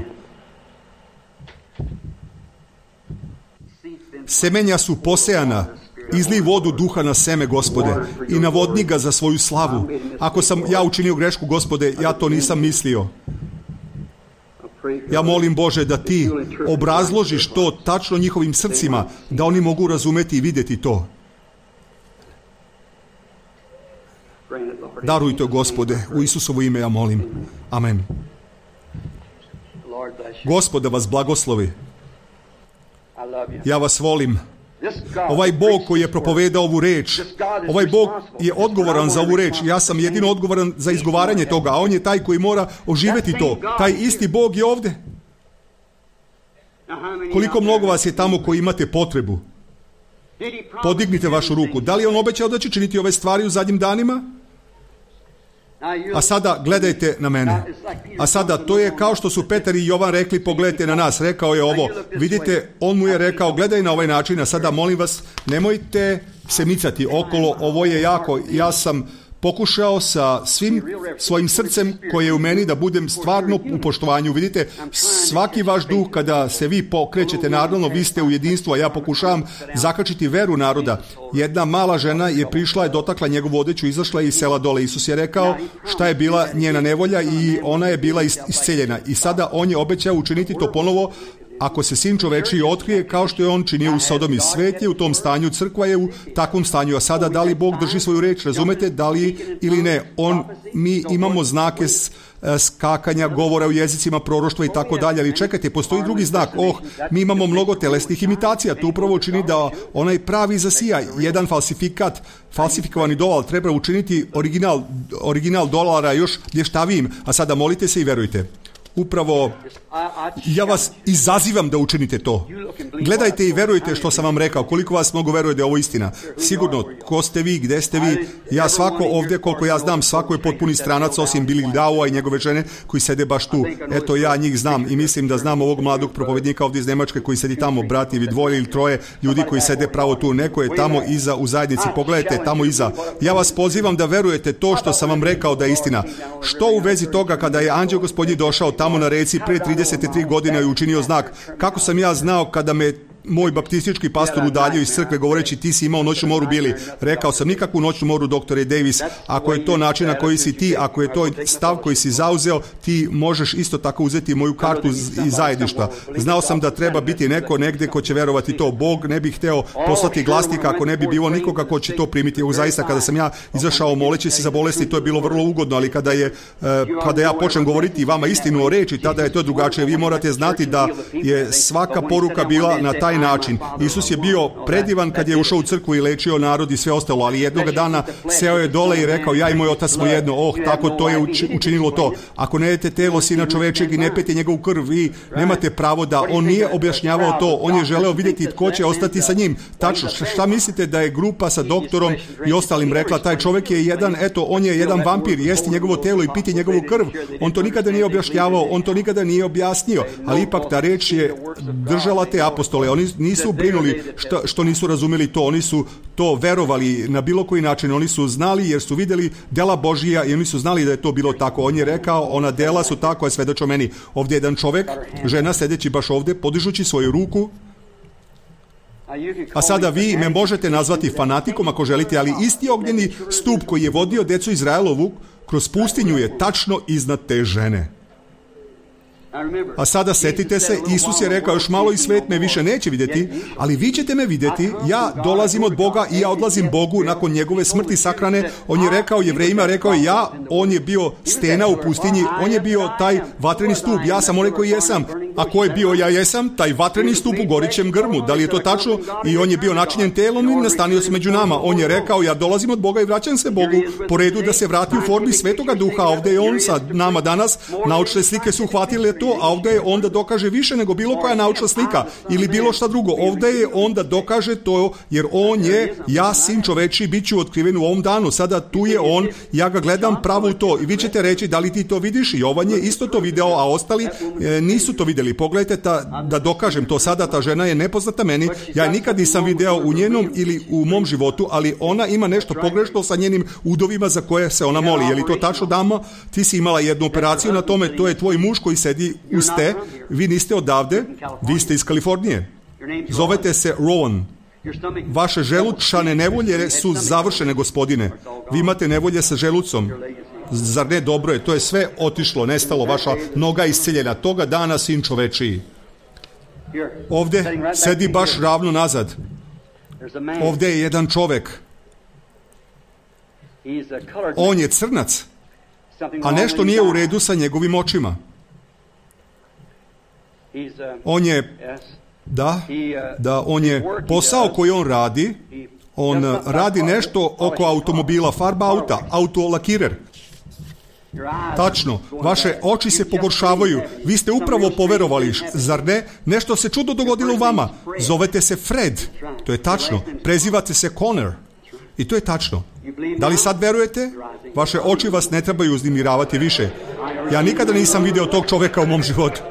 Semenja su posejana. Izlij vodu duha na seme, Gospode, i navodni ga za svoju slavu. Ako sam ja učinio grešku, Gospode, ja to nisam mislio. Ja molim, Bože, da ti obrazložiš to tačno njihovim srcima, da oni mogu razumeti i vidjeti to. Daruj to, Gospode, u Isusovo ime ja molim. Amen. Gospod da vas blagoslovi. Ja vas volim. Ovaj Bog koji je propovedao ovu reč, ovaj Bog je odgovoran za ovu reč. Ja sam jedino odgovoran za izgovaranje toga, a on je taj koji mora oživeti to. Taj isti Bog je ovde. Koliko mnogo vas je tamo koji imate potrebu? Podignite vašu ruku. Da li je on obećao da će činiti ove stvari u zadnjim danima? A sada gledajte na mene. A sada to je kao što su Petar i Jovan rekli, pogledajte na nas. Rekao je ovo. Vidite, on mu je rekao, gledaj na ovaj način, a sada molim vas, nemojte se micati okolo, ovo je jako, ja sam pokušao sa svim svojim srcem koje je u meni da budem stvarno u poštovanju. Vidite, svaki vaš duh kada se vi pokrećete, naravno vi ste u jedinstvu, a ja pokušavam zakačiti veru naroda. Jedna mala žena je prišla, je dotakla njegovu odeću, izašla iz sela dole. Isus je rekao šta je bila njena nevolja i ona je bila isceljena. I sada on je obećao učiniti to ponovo Ako se Sin čovečiji otkrije kao što je on činio u Sodomi, svet je u tom stanju, crkva je u takvom stanju. A sada da li Bog drži svoju reč, razumete, da li ili ne? Mi imamo znake skakanja, govora u jezicima, proroštva i tako dalje, ali čekajte, postoji drugi znak. Mi imamo mnogo telesnih imitacija. To upravo čini da onaj pravi zasija. Jedan falsifikovani dolar treba učiniti original dolara još blještavijim. A sada molite se i verujte. Upravo, ja vas izazivam da učinite to. Gledajte i verujte što sam vam rekao. Koliko vas mnogo veruje da je ovo istina. Sigurno, ko ste vi, gde ste vi? Ja svako ovdje, koliko ja znam, svako je potpuni stranac osim Billy Grahama i njegove žene koji sede baš tu. Eto, ja njih znam i mislim da znam ovog mladog propovednika ovdje iz Njemačke koji sedi tamo, brati ili dvoje ili troje ljudi koji sede pravo tu. Neko je tamo iza u zajednici. Pogledajte, tamo iza. Ja vas pozivam da verujete to što sam vam rekao da je istina. Što u vezi toga kada je anđeo Gospodnji došao tamo na reci pre 33 godine i učinio znak? Kako sam ja znao kada me moj baptistički pastor udaljio iz crkve govoreći ti si imao noćnu moru, Bili? Rekao sam nikakvu noćnu moru, doktore Davis. Ako je to način na koji si ti, ako je to stav koji si zauzeo, ti možeš isto tako uzeti moju kartu iz zajedništva. Znao sam da treba biti neko negdje ko će verovati to. Bog ne bi hteo poslati glasnika ako ne bi bilo nikoga ko će to primiti. Zaista kada sam ja izašao moleći se za bolesti, to je bilo vrlo ugodno, ali kada ja počnem govoriti vama istinu o reči, tada je to drugačije. Vi morate znati da je svaka poruka bila na taj način. Isus je bio predivan kad je ušao u crkvu i lečio narod i sve ostalo, ali jednog dana seo je dole i rekao ja i moj otac smo jedno. Tako to je učinilo to. Ako ne jedete telo Sina čovečeg i ne pijete njegovu krv, vi nemate pravo da. On nije objašnjavao to, on je želeo vidjeti tko će ostati sa njim. Tačno, šta mislite da je grupa sa doktorom i ostalim rekla, taj čovjek je jedan, on je jedan vampir, jesti njegovo telo i piti njegovu krv. On to nikada nije objašnjavao, on to nikada nije objasnio, ali ipak ta reč je držala te apostole. Oni nisu brinuli što nisu razumeli to, oni su to verovali na bilo koji način, oni su znali jer su vidjeli dela Božija i oni su znali da je to bilo tako. On je rekao, ona dela su tako, a svedoče meni. Ovdje je jedan čovjek, žena sedeći baš ovdje, podižući svoju ruku. A sada vi me možete nazvati fanatikom ako želite, ali isti ognjeni stup koji je vodio decu Izraelovu kroz pustinju je tačno iznad te žene. A sada setite se, Isus je rekao još malo i svet me više neće vidjeti, ali vi ćete me vidjeti, ja dolazim od Boga i ja odlazim Bogu nakon njegove smrti sahrane. On je rekao Jevrejima, rekao je on je bio stena u pustinji, on je bio taj vatreni stup, ja sam onaj koji jesam. A ko je bio ja jesam? Taj vatreni stup u gorićem grmu. Da li je to tačno? I on je bio načinjen telom i nastanio se među nama. On je rekao, ja dolazim od Boga i vraćam se Bogu po redu da se vrati u formi Svetoga Duha. Ovdje je on sa nama danas. Naučne slike su uhvatile to, a ovdje je on da dokaže više nego bilo koja naučna slika ili bilo šta drugo. Ovdje je on da dokaže to, jer on je, ja Sin čovečiji, bit ću otkriven u ovom danu. Sada tu je on, ja ga gledam pravo u to i vi ćete reći da li ti to vidiš? Jovan je isto to video, a ostali nisu to vidjeli. Pogledajte da dokažem to sada, ta žena je nepoznata meni, ja je nikad nisam video u njenom ili u mom životu, ali ona ima nešto pogrešno sa njenim udovima za koje se ona moli. Je li to tačno, dama? Ti si imala jednu operaciju na tome, to je tvoj muž koji sedi uz te, vi niste odavde, vi ste iz Kalifornije. Zovete se Rowan. Vaše želučane nevolje su završene, gospodine. Vi imate nevolje sa želucom. Zar ne, dobro je, to je sve otišlo, nestalo, vaša noga je isceljena. Toga dana Sin čovečiji. Ovdje sedi baš ravno nazad. Ovdje je jedan čovjek. On je crnac, a nešto nije u redu sa njegovim očima. On je, on je posao koji on radi nešto oko automobila, farba auta, autolakirer. Tačno, vaše oči se pogoršavaju, vi ste upravo poverovali, zar ne? Nešto se čudno dogodilo u vama. Zovete se Fred, to je tačno, prezivate se Connor i to je tačno. Da li sad verujete? Vaše oči vas ne trebaju uznemiravati više. Ja nikada nisam vidio tog čovjeka u mom životu.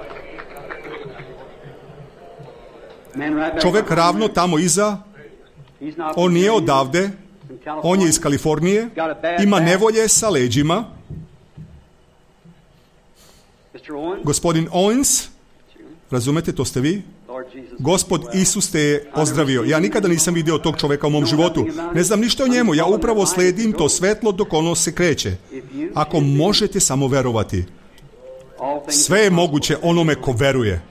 Čovjek ravno tamo iza, on nije odavde, on je iz Kalifornije, ima nevolje sa leđima. Gospodin Owens, razumete, to ste vi? Gospod Isus te je ozdravio. Ja nikada nisam vidio tog čovjeka u mom životu. Ne znam ništa o njemu, ja upravo sledim to svetlo dok ono se kreće. Ako možete samo verovati, sve je moguće onome ko veruje.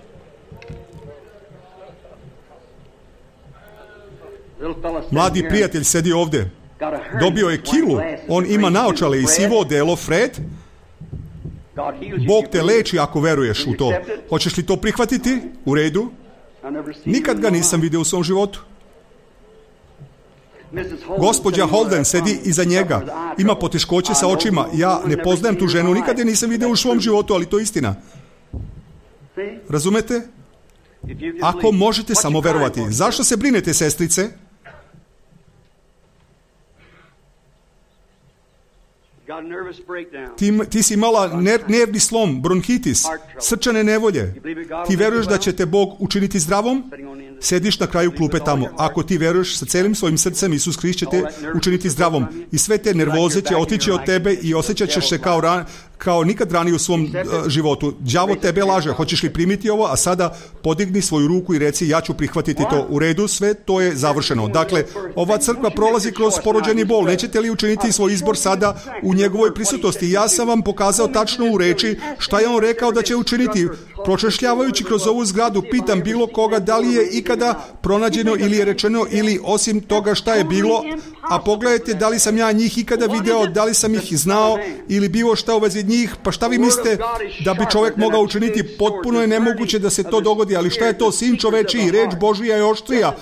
Mladi prijatelj sedi ovdje. Dobio je kilu. On ima naočale i sivo odelo. Fred, Bog te leči ako veruješ u to. Hoćeš li to prihvatiti? U redu. Nikad ga nisam vidio u svom životu. Gospođa Holden sedi iza njega. Ima poteškoće sa očima. Ja ne poznajem tu ženu. Nikad je nisam vidio u svom životu, ali to je istina. Razumete? Ako možete samo verovati. Zašto se brinete, sestrice? Ti si imala nervni slom, bronhitis, srčane nevolje. Ti veruješ da će te Bog učiniti zdravom? Sediš na kraju klupe tamo. Ako ti veruješ sa celim svojim srcem, Isus Hrist će te učiniti zdravom. I sve te nervoze će otići od tebe i osjećat ćeš se kao nikad ranije u svom životu. Đavo tebe laže. Hoćeš li primiti ovo? A sada podigni svoju ruku i reci, ja ću prihvatiti to. U redu, sve to je završeno. Dakle, ova crkva prolazi kroz porođeni bol. Nećete li učiniti svoj izbor sada u njegovoj prisutnosti? Ja sam vam pokazao tačno u reči šta je on rekao da će učiniti. Pročešljavajući kroz ovu zgradu, pitam bilo koga da li je ikada pronađeno ili je rečeno ili osim toga šta je bilo, a pogledajte da li sam ja njih ikada video, da li sam ih znao ili bilo šta u vezi njih, pa šta vi mislite da bi čovjek mogao učiniti? Potpuno je nemoguće da se to dogodi, ali šta je to? Sin čovečiji, reč Božija je oštrija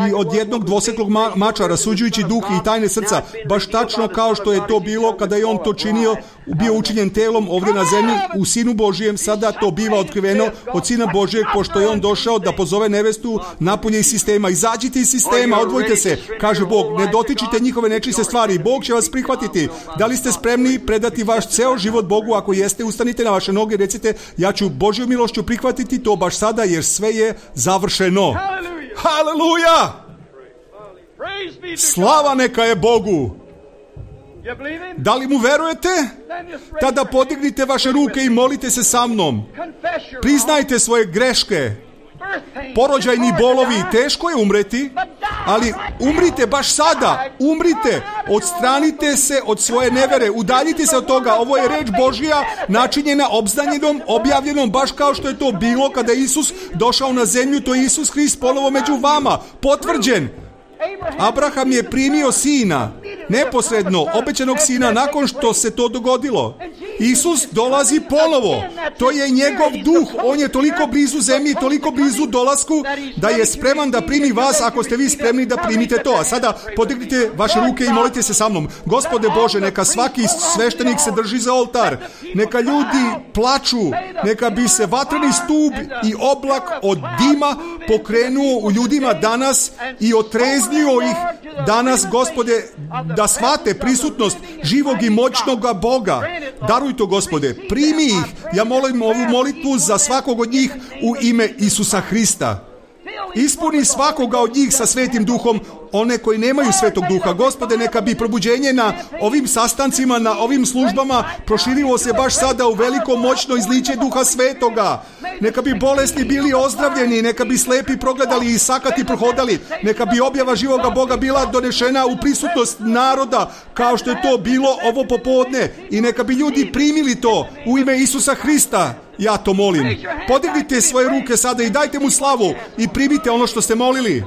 i od jednog dvoseklog mača, rasuđujući duh i tajne srca, baš tačno kao što je to bilo kada je on to činio, bio učinjen telom ovdje na zemlji u Sinu Božijem. Sada to biva otkriveno od Sina Božijeg, pošto je on došao da pozove nevestu napolje iz sistema. Izađite iz sistema, odvojite se, kaže Bog, ne dotičite njihove nečiste stvari, Bog će vas prihvatiti. Da li ste spremni predati vaš ceo život Bogu? Ako jeste, ustanite na vaše noge, recite, ja ću Božju milošću prihvatiti to baš sada, jer sve je završeno. Haleluja! Slava neka je Bogu! Da li mu verujete? Tada podignite vaše ruke i molite se sa mnom. Priznajte svoje greške. Porođajni bolovi, teško je umreti, ali umrite baš sada. Umrite, odstranite se od svoje nevere, udaljite se od toga. Ovo je reč Božja načinjena, obznanjenom, objavljenom, baš kao što je to bilo kada je Isus došao na zemlju. To je Isus Hrist ponovo među vama, potvrđen. Abraham je primio sina, neposredno obećanog sina, nakon što se to dogodilo. Isus dolazi ponovo. To je njegov duh. On je toliko blizu zemlji, toliko blizu dolasku, da je spreman da primi vas ako ste vi spremni da primite to. A sada podignite vaše ruke i molite se sa mnom. Gospode Bože, neka svaki sveštenik se drži za oltar. Neka ljudi plaču. Neka bi se vatreni stup i oblak od dima pokrenuo u ljudima danas i otreznio ih danas, Gospode, da shvate prisutnost živog i moćnog Boga. Daruj to, Gospode, primi ih. Ja molim ovu molitvu za svakog od njih u ime Isusa Hrista. Ispuni svakoga od njih sa Svetim Duhom, one koji nemaju Svetog Duha. Gospode, neka bi probuđenje na ovim sastancima, na ovim službama proširilo se baš sada u veliko moćno izliće Duha Svetoga. Neka bi bolesni bili ozdravljeni, neka bi slepi progledali i sakati prohodali, neka bi objava živoga Boga bila donešena u prisutnost naroda, kao što je to bilo ovo popodne, i neka bi ljudi primili to u ime Isusa Hrista. Ja to molim. Podignite svoje ruke sada i dajte mu slavu i primite ono što ste molili.